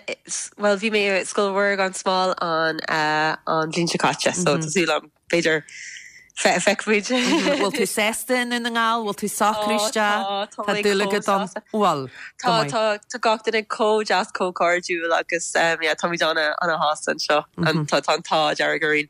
well bhí mé Scoil Mhuire gan Smál an uh, an bhliain seo caite, so mm -hmm. tá súil b'fhéidir feicfimid.
Bhfuil tú sásta i nDún na nGall, bhfuil tú socrú isteach Tá dúil agat ann bhfuil
Tá tá gach duine chomh deas chomh cairdiúil agus um, yeah, táimid ana ana-shásta anseo tá tá an t-ádh dearg orainn.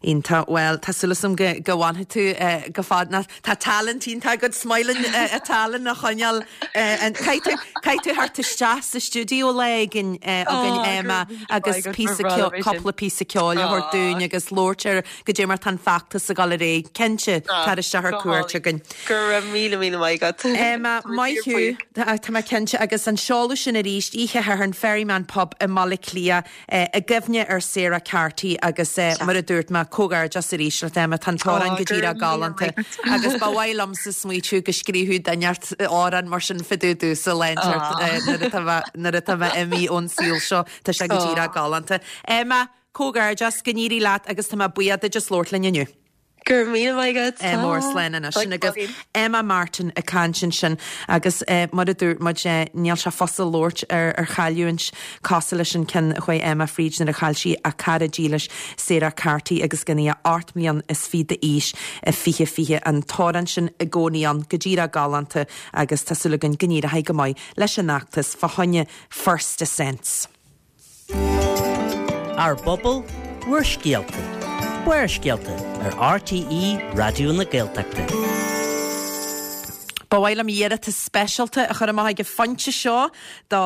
Iontach well tá súil agam go go bhfanfaidh tú uh, go fad na tá talent iontach agat smiling uh, a talent a choinneáil uh, caithfidh tú theacht isteach sa stiúideo lá éigin againn Emma agus cúpla píosa ceoil a thabhairt dúinn agus labhairt ar goidé mar tá an feachtas ag dul ar aghaidh cinnte tar isteach ar cuairt againn.
Go raibh míle míle maith agat.
Emma maith thú tá mé cinnte agus an seoladh sin arís oíche Shathairn Ferryman Pub i mBaile Átha Cliath i gcuimhne ar Sarah Carty agus mar a dúirt mé comhghairdeas arís le Emma tá an t-amhrán go díreach galánta agus ba mhaith liomsa smaoitiú go scríobhadh duine inteacht amhrán mar sin fá dtaobh domhsa lá inteacht nuair atá mé imithe ón saol seo tá sé go díreach galánta. Emma, comhghairdeas go n-éirí leat agus tá mé buíoch duit as labhairt linn inniu.
Gur mí agat
mór slán sin agus Emma Martin ag caint ansin agus mar a dúirt muid níl sé fusa labhairt ar ar chailliúint cosúil leis an ceann a chuaigh Emma fríd nuair a chaill sí a cara dílis Sarah Carty agus gan í ocht mbliana is fiche d'aois i fiche fiche an t-amhrán sin i gcónaí ann go díreach galánta agus tá súil againn go n-éireoidh go maith leis an fheachtas fá choinne First Ascents.
Ár bpobal, bhur scéalta. Barrscéalta ar RTÉ Raidió na Gaeltachta.
Ba mhaith liom iarratas speisialta a chur amach ag an phointe seo do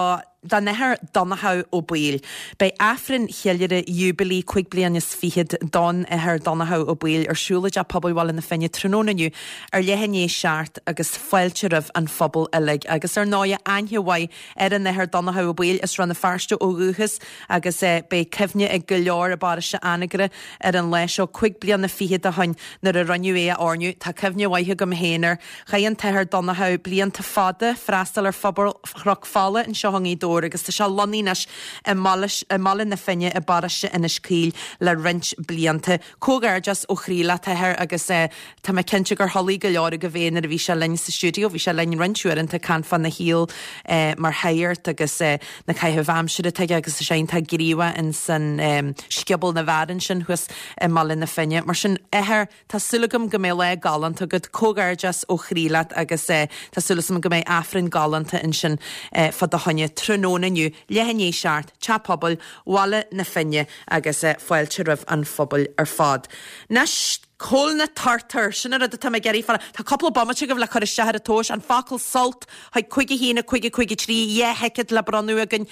don Athair Donnchadh Ó Baoill. Beidh Aifreann Cheiliúradh Jubilee cúig bliana is fichead don Athair Donnchadh Ó Baoill ar siúl i dTeach Pobail Bhaile na Finne tráthnóna inniu ar leath i ndiaidh a seacht agus fáilte roimh an phobal uilig. Agus ar ndóigh aithne mhaith ar an Athair Donnchadh Ó Baoill as Rann na Feirste ó dhúchas agus eh, beidh cuimhne ag go leor i bparóiste Anagaire ar an lá seo cúig bliana fichead ó shin nuair a rinneadh é a oirniú. Tá cuimhne mhaith agam féin air. Chaith an tAthair Donnchadh blianta fada freastal ar phobal Chnoc Fola anseo i nGaoth Dobhair agus tá sé lonnaithe anois i mBaile na Finne i bparóiste Inis Caoil le roinnt blianta. Comhghairdeas ó chroí leat a Athair agus eh, tá mé cinnte gur chodlaigh go leor agaibh é nuair a bhí sé linn sa stiúideo, bhí sé linn roinnt uaireanta ag caint fána shaol eh, mar shagart agus eh, na caithimh aimsire atá aige agus sé iontach gníomhach in san um, Scioból na bhFearann sin thuas i mBaile na Finne. Mar sin a Athair tá súil agam go mbeidh lá galánta agat comhghairdeas ó chroí leat agus eh, tá súil agam go mbeidh Aifreann galánta ansin eh, fá do choinne tráthnóna inniu leath i ndiaidh a seacht, Teach Pobail, Bhaile na Finne agus eh, fáilte roimh an phobal ar fad. Anois Cá bhfuil na turtair, sin an rud atá mé ag iarraidh fáil. Tá cúpla bomaite agaibh le cur isteach ar an tomhas, an focal sult chuig cúig a haon a cúig a cúig a trí, dhá thicéad le bronnadh againn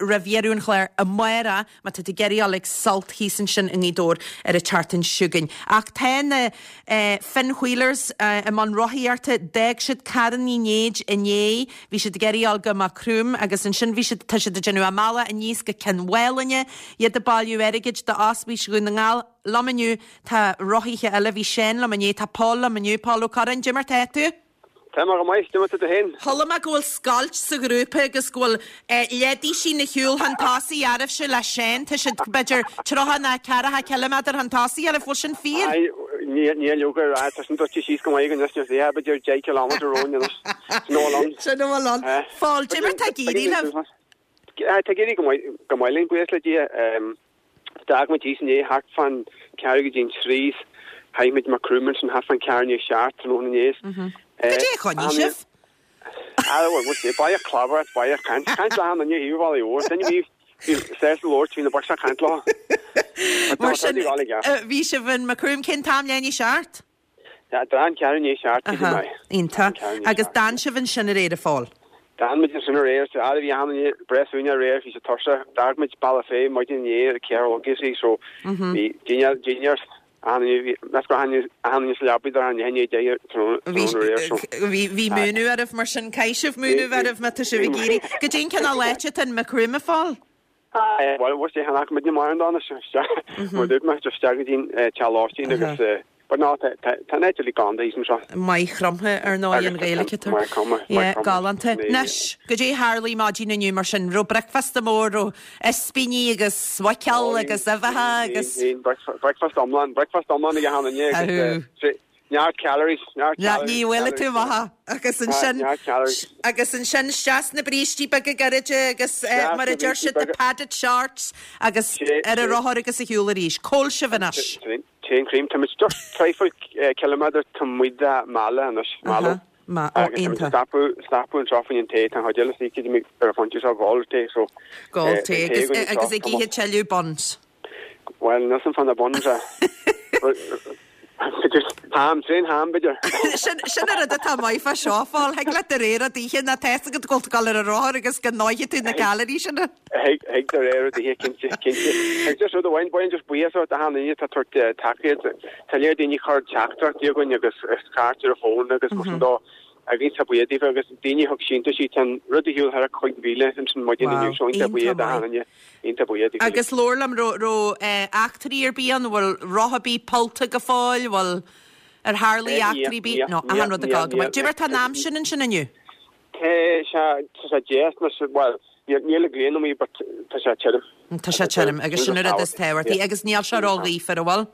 roimh dheireadh an chláir amárach má tá tú ag iarraidh dul ag Sult thíos ansin i nGaoth Dobhair ar an tseachtain seo chugainn. Ach tá na Finn Wheelers i mbun rothaíochta, d'fhág siad Carn Uí Néid inné, bhí siad ag iarraidh dul go Maigh Chromtha agus ansin bhí siad, tá siad ag déanamh a mbealach aníos go Cionn Mhálanna, iad ag bailiú airgid d'Ospís Dhún na nGall. Liom inniu tá rothaithe eile, bhí Seán liom inné, tá Paul liom inniu. Paul Ó Curráin, cad é mar tá tú?
Tá mé go maith, cad é mar tá tú féin?
Chuala mé go bhfuil scoilt sa ghrúpa agus go bhfuil leidísí na shiúl chun tosaigh oraibhse le Seán, tá siad b'fhéidir tríocha nó ceathracha ciliméadar chun tosaigh oraibh, bhfuil sin fíor?
Aye, níl leoga ar aghaidh, tá sin druidte síos go maith againn anois, níl b'fhéidir deich ciliméadar romhainn anois. Sin a bhfuil ann.
Sin a bhfuil ann. Paul, cad é mar tá ag éirí libh?
Tá ag éirí go maith linn, buíochas le Dia. D'fhág muid thíos inné thart fán ceathrú go dtí an trí 's shroich muid Maigh Chromtha ansin thart fán ceathrú i ndiaidh a seacht tráthnóna inné.
Cad é a choinnigh sibh?
Ah bhuel, bhuel, sé, baie clábar, baie caint, caint le hAnn inné thaobh Bhaile Mhóir, duine bhí bhí sásta labhairt, bhí na boicht ag caint leo.
Mar sin, bhí sibh in Maigh Chromtha cén t-am leath i ndiaidh a seacht?
D'fhan ceathrú i ndiaidh a seacht, cé
Aha, iontach. Agus d'fhan sibh ansin aréir, a Phóil?
D'fhan muid ansin aréir, so fhad a bhí achan duine breá suaimhneach aréir, bhí sé tuirseach. D'fhág muid Bealach Féich maidin inné ar a ceathair a chlog is so bhí dinnéar, dinnéar, achan duine, bhí, meas go raibh achan duine sa leabaidh dar an leath i ndiaidh a deich tráthnóna aréir, so.
Bhí, bhí múineadh oraibh mar sin, caithfidh sibh múineadh oraibh má tá sibh ag iarraidh. Goidé an cineál áit atá in Maigh Chromtha, a Phóil?
Bhuel, bhuel, sé chonaic muidne mar an dán isteach, mar dúirt mé, isteach go dtí an teach lóistín agus but no, tá an áit uilig galánta thíos anseo.
Maigh Chromtha, ar ndóigh, an Ghaeilge atá.
Maigh Chromtha, Maigh
Yeah,
Chromtha.
galánta. Anois, goidé a tharlaigh maidin inniu mar sin? Raibh bricfeasta mór, raibh ispíní agus muiceoil agus uibheacha agus.
Breakfast iomlán, breakfast iomlán ag achan duine agus Neart calories, neart calories.
Ní bhfuil tú maith agus ansin agus ansin isteach sna brístí beaga gairide agus mar a deir siad the padded shorts agus ar an rothar agus ar shiúl arís. Cá bhfuil sibh anois?
Tréan cream, tá muid just traidhfil ciliméadar taobh amuigh de Mala anois, Mallow.
Agus
tá muid ag stopadh, stopadh anseo fá choinne an tae, tá an chuid eile istigh ar an phointe seo ag ól tae so.
Ag ól tae agus ag ithe tuilleadh buns.
Bhuel, níl 's a'm fá na buns a. Ham, tréan ham, b'fhéidir.
Sin sin an rud atá maith fá seo, a Phóil. Thig leat do rogha rud a ithe nó tá fhios agat go bhfuil tú ag dul ar an rothar agus go ndófaidh tú na calories sin.
Thig, thig do rogha rud a ithe, cinnte, cinnte. Agus just rud amháin, baineann just buíochas d'achan duine atá ag tabhairt tacaíocht. Tá léir daoine ag cur teachtaireachtaí chugainn agus cairt ar an bhfón agus mar sin dó. Agus iontach buíoch daofa agus daoine a thug síntiúisí, tá an rud ar shiúl thar a cúig mhíle ansin maidin
Wow,
inniu, so iontach buíoch
iontach
d'achan
maith.
duine. Iontach buíoch daoibh uilig.
Agus labhair liom, raibh, raibh eachtraí ar bith ann, bhfuil roth ar bith pollta go fóill, bhfuil, ar tharlaigh
Níl,
eachtraí ar bith?
níl,
No,
níl,
achan rud ag
níl,
dul go
níl.
maith. Cad é mar tá an aimsir ansin inniu?
Tá sé, tá sé deas, nó, bhuel, níl, níl an ghrian amuigh but tá sé tirim.
Tá sé tirim, agus sin an rud is tábhachtaí, agus níl sé ró-ghaofar, an bhfuil?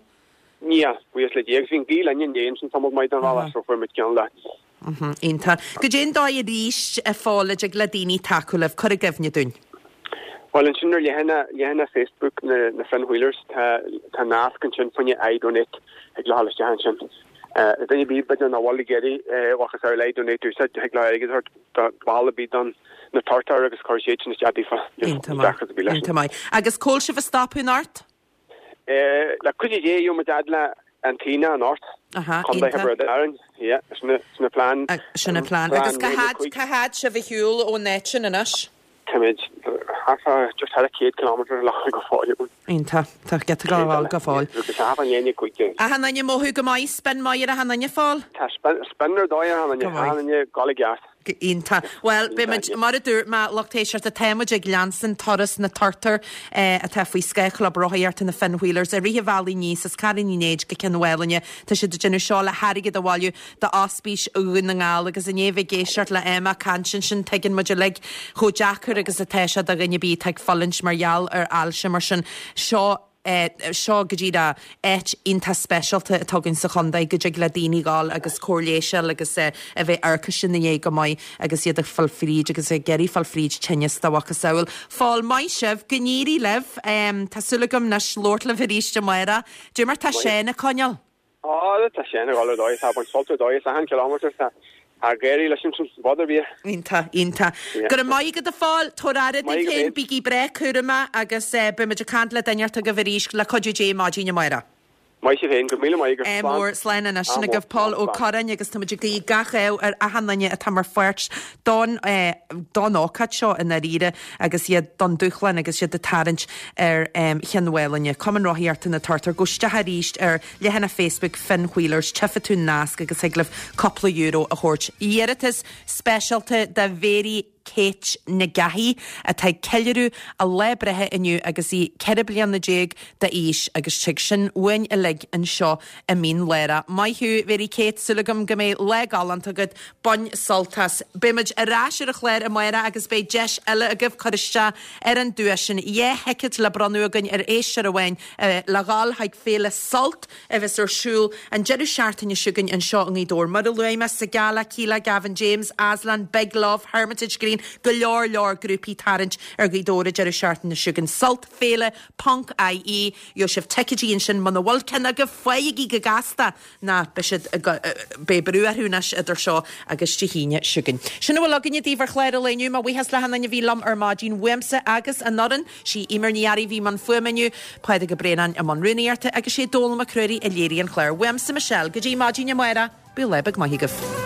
Níl, buíochas le Dia, agus bhí an ghaoth linn inné ansin tamall maith den bhealach so fuair muid ceann le.
Iontach. Goidé an dóigh arís, a Phóil, a dtig le daoine tacú libh, cuir i gcuimhne dúinn.
Bhuel ansin ar leathanach, leathanach Facebook na, na Finn Wheelers, tá, tá nasc ansin fá choinne iDonate thig leo dhul isteach ansin. Duine ar bith b'fhéidir nach bhfuil ag iarraidh bhacas ar iDonate úsáid, thig leo airgead a thabhairt do bhall ar bith don na turtair agus cuir siad sin isteach daofa.
Iontach maith. Iontach maith. Agus cá bhfuil sibh ag stopadh anocht?
Le cuidiú Dé, gheobhaidh muid fhad le an tAonach anocht.
Aha,
Contae
iontach.
Thiobraid Árann. Yeah, sin an, sin an plean.
Sin an plean. Agus cá fhad, cá fhad sibh ar shiúl ón áit sin anois?
Táimid thart fá, just thar a céad kilometre le go fóill uainn.
Iontach. Tá giota go fóill, go fóill.
Agus a hafan dhéine cúig déag.
Achan duine ag mothú go maith, spin maith ar achan duine, a Phóil?
Tá spin, spin ar dóigh ar achan duine,
Go maith.
achan duine ag gabháil i gceart.
Iontach. Bhuel, beidh muid, mar a dúirt mé, lucht éisteachta, tá muid ag leanstan turas na turtar atá faoi scáth Chlub Rothaíochta na Finn Wheelers i rith an bhealaigh aníos as Carraig Uí Néid go Cionn Mhálanna. Tá siad ag déanamh seo le hairgead a bhailiú d'Ospís Dhún na nGall agus i ndiaidh bheith ag éisteacht le Emma ag caint ansin, tuigeann muid uilig chomh deacair agus atá sé do dhuine ar bith atá ag fulaingt mar gheall ar ailse mar sin. Seo seo go díreach áit iontach speisialta atá againn sa chontae go dtig le daoine dhul agus cóir leighis a fháil agus a bheith amharc ina dhiaidh go maith agus iad ag fáil fríd agus ag iarraidh fáil fríd tinneas dá mhacasamhail. Phóil, maith sibh, go n-éirí libh. Tá súil agam anois labhairt libh arís amárach. Cad é mar tá Seán ag coinneáil.
Á, tá Seán ag dul ar dóigh, tá ag baint sult ar dóigh, is achan kilometre tá ag éirí leis ansin, bud ar bith.
Iontach, iontach. Go raibh maith agat a Phóil, tabhair aire daoibh féin, bígí breá cúramach agus beidh muid ag caint le duine inteacht agaibh arís le cuidiú Dé maidin amárach.
Maith sibh féin, go raibh míle maith
agaibh. Ádh mór, slán anois. Sin agaibh Pól Ó Curráin agus táimid ag guí gach ádh ar achan duine atá mar pháirt don don ócáid seo i ndáiríre agus iad don dúshlán agus iad ag tarraingt ar Chionn Mhálanna. Cumann Rothaíochta na Turtar, gabh isteach arís ar leathanach Facebook Finn Wheelers, tchífidh tú an nasc agus thig libh cúpla euro a thabhairt. Iarratas speisialta do Mhéirí Kate Nic Gabhaigh, atá ag ceiliúradh a lá breithe inniu agus í ceithre bliana déag d'aois agus tig sin uainn uilig anseo i Mín Lárach. Maith thú, Mhéirí Kate, súil agam go mbeidh lá galánta agat, bain sult as. Beidh muid ar ais ar an chlár amárach agus beidh deis eile agaibh cur isteach ar an duais sin. Dhá thicéad le bronnadh againn ar éisteoir amháin le dhul chuig Féile Sult a bheas ar siúl an deireadh seachtaine seo chugainn anseo i nGaoth Dobhair. Mar a luaigh mé, Sigala, Kíla, Gavin James, Aslan, Big Love, Hermitage Green, go leor leor grúpaí ag tarraingt ar Ghaoth Dobhair an deireadh seachtaine seo chugainn. Sult Féile ponc IE. Gheobhaidh sibh ticéidí ansin muna bhfuil ceann agaibh, faighigí go gasta ná beidh siad ag, beidh brú orthu anois idir seo agus Dé hAoine seo chugainn. Sin a bhfuil againne daoibh ar chlár an lae inniu. Mo bhuíochas le hachan duine a bhí liom ar maidin uaimse agus an fhoireann. Sí Eimear Ní Fhearraigh a bhí i mbun fuaime inniu, Pádraig Ó Braonáin i mbun rúnaíochta agus sé Dónal Mac Ruairí a léirigh an clár. Uaimse Michelle, go dtí maidin amárach, bíodh lá beag maith agaibh.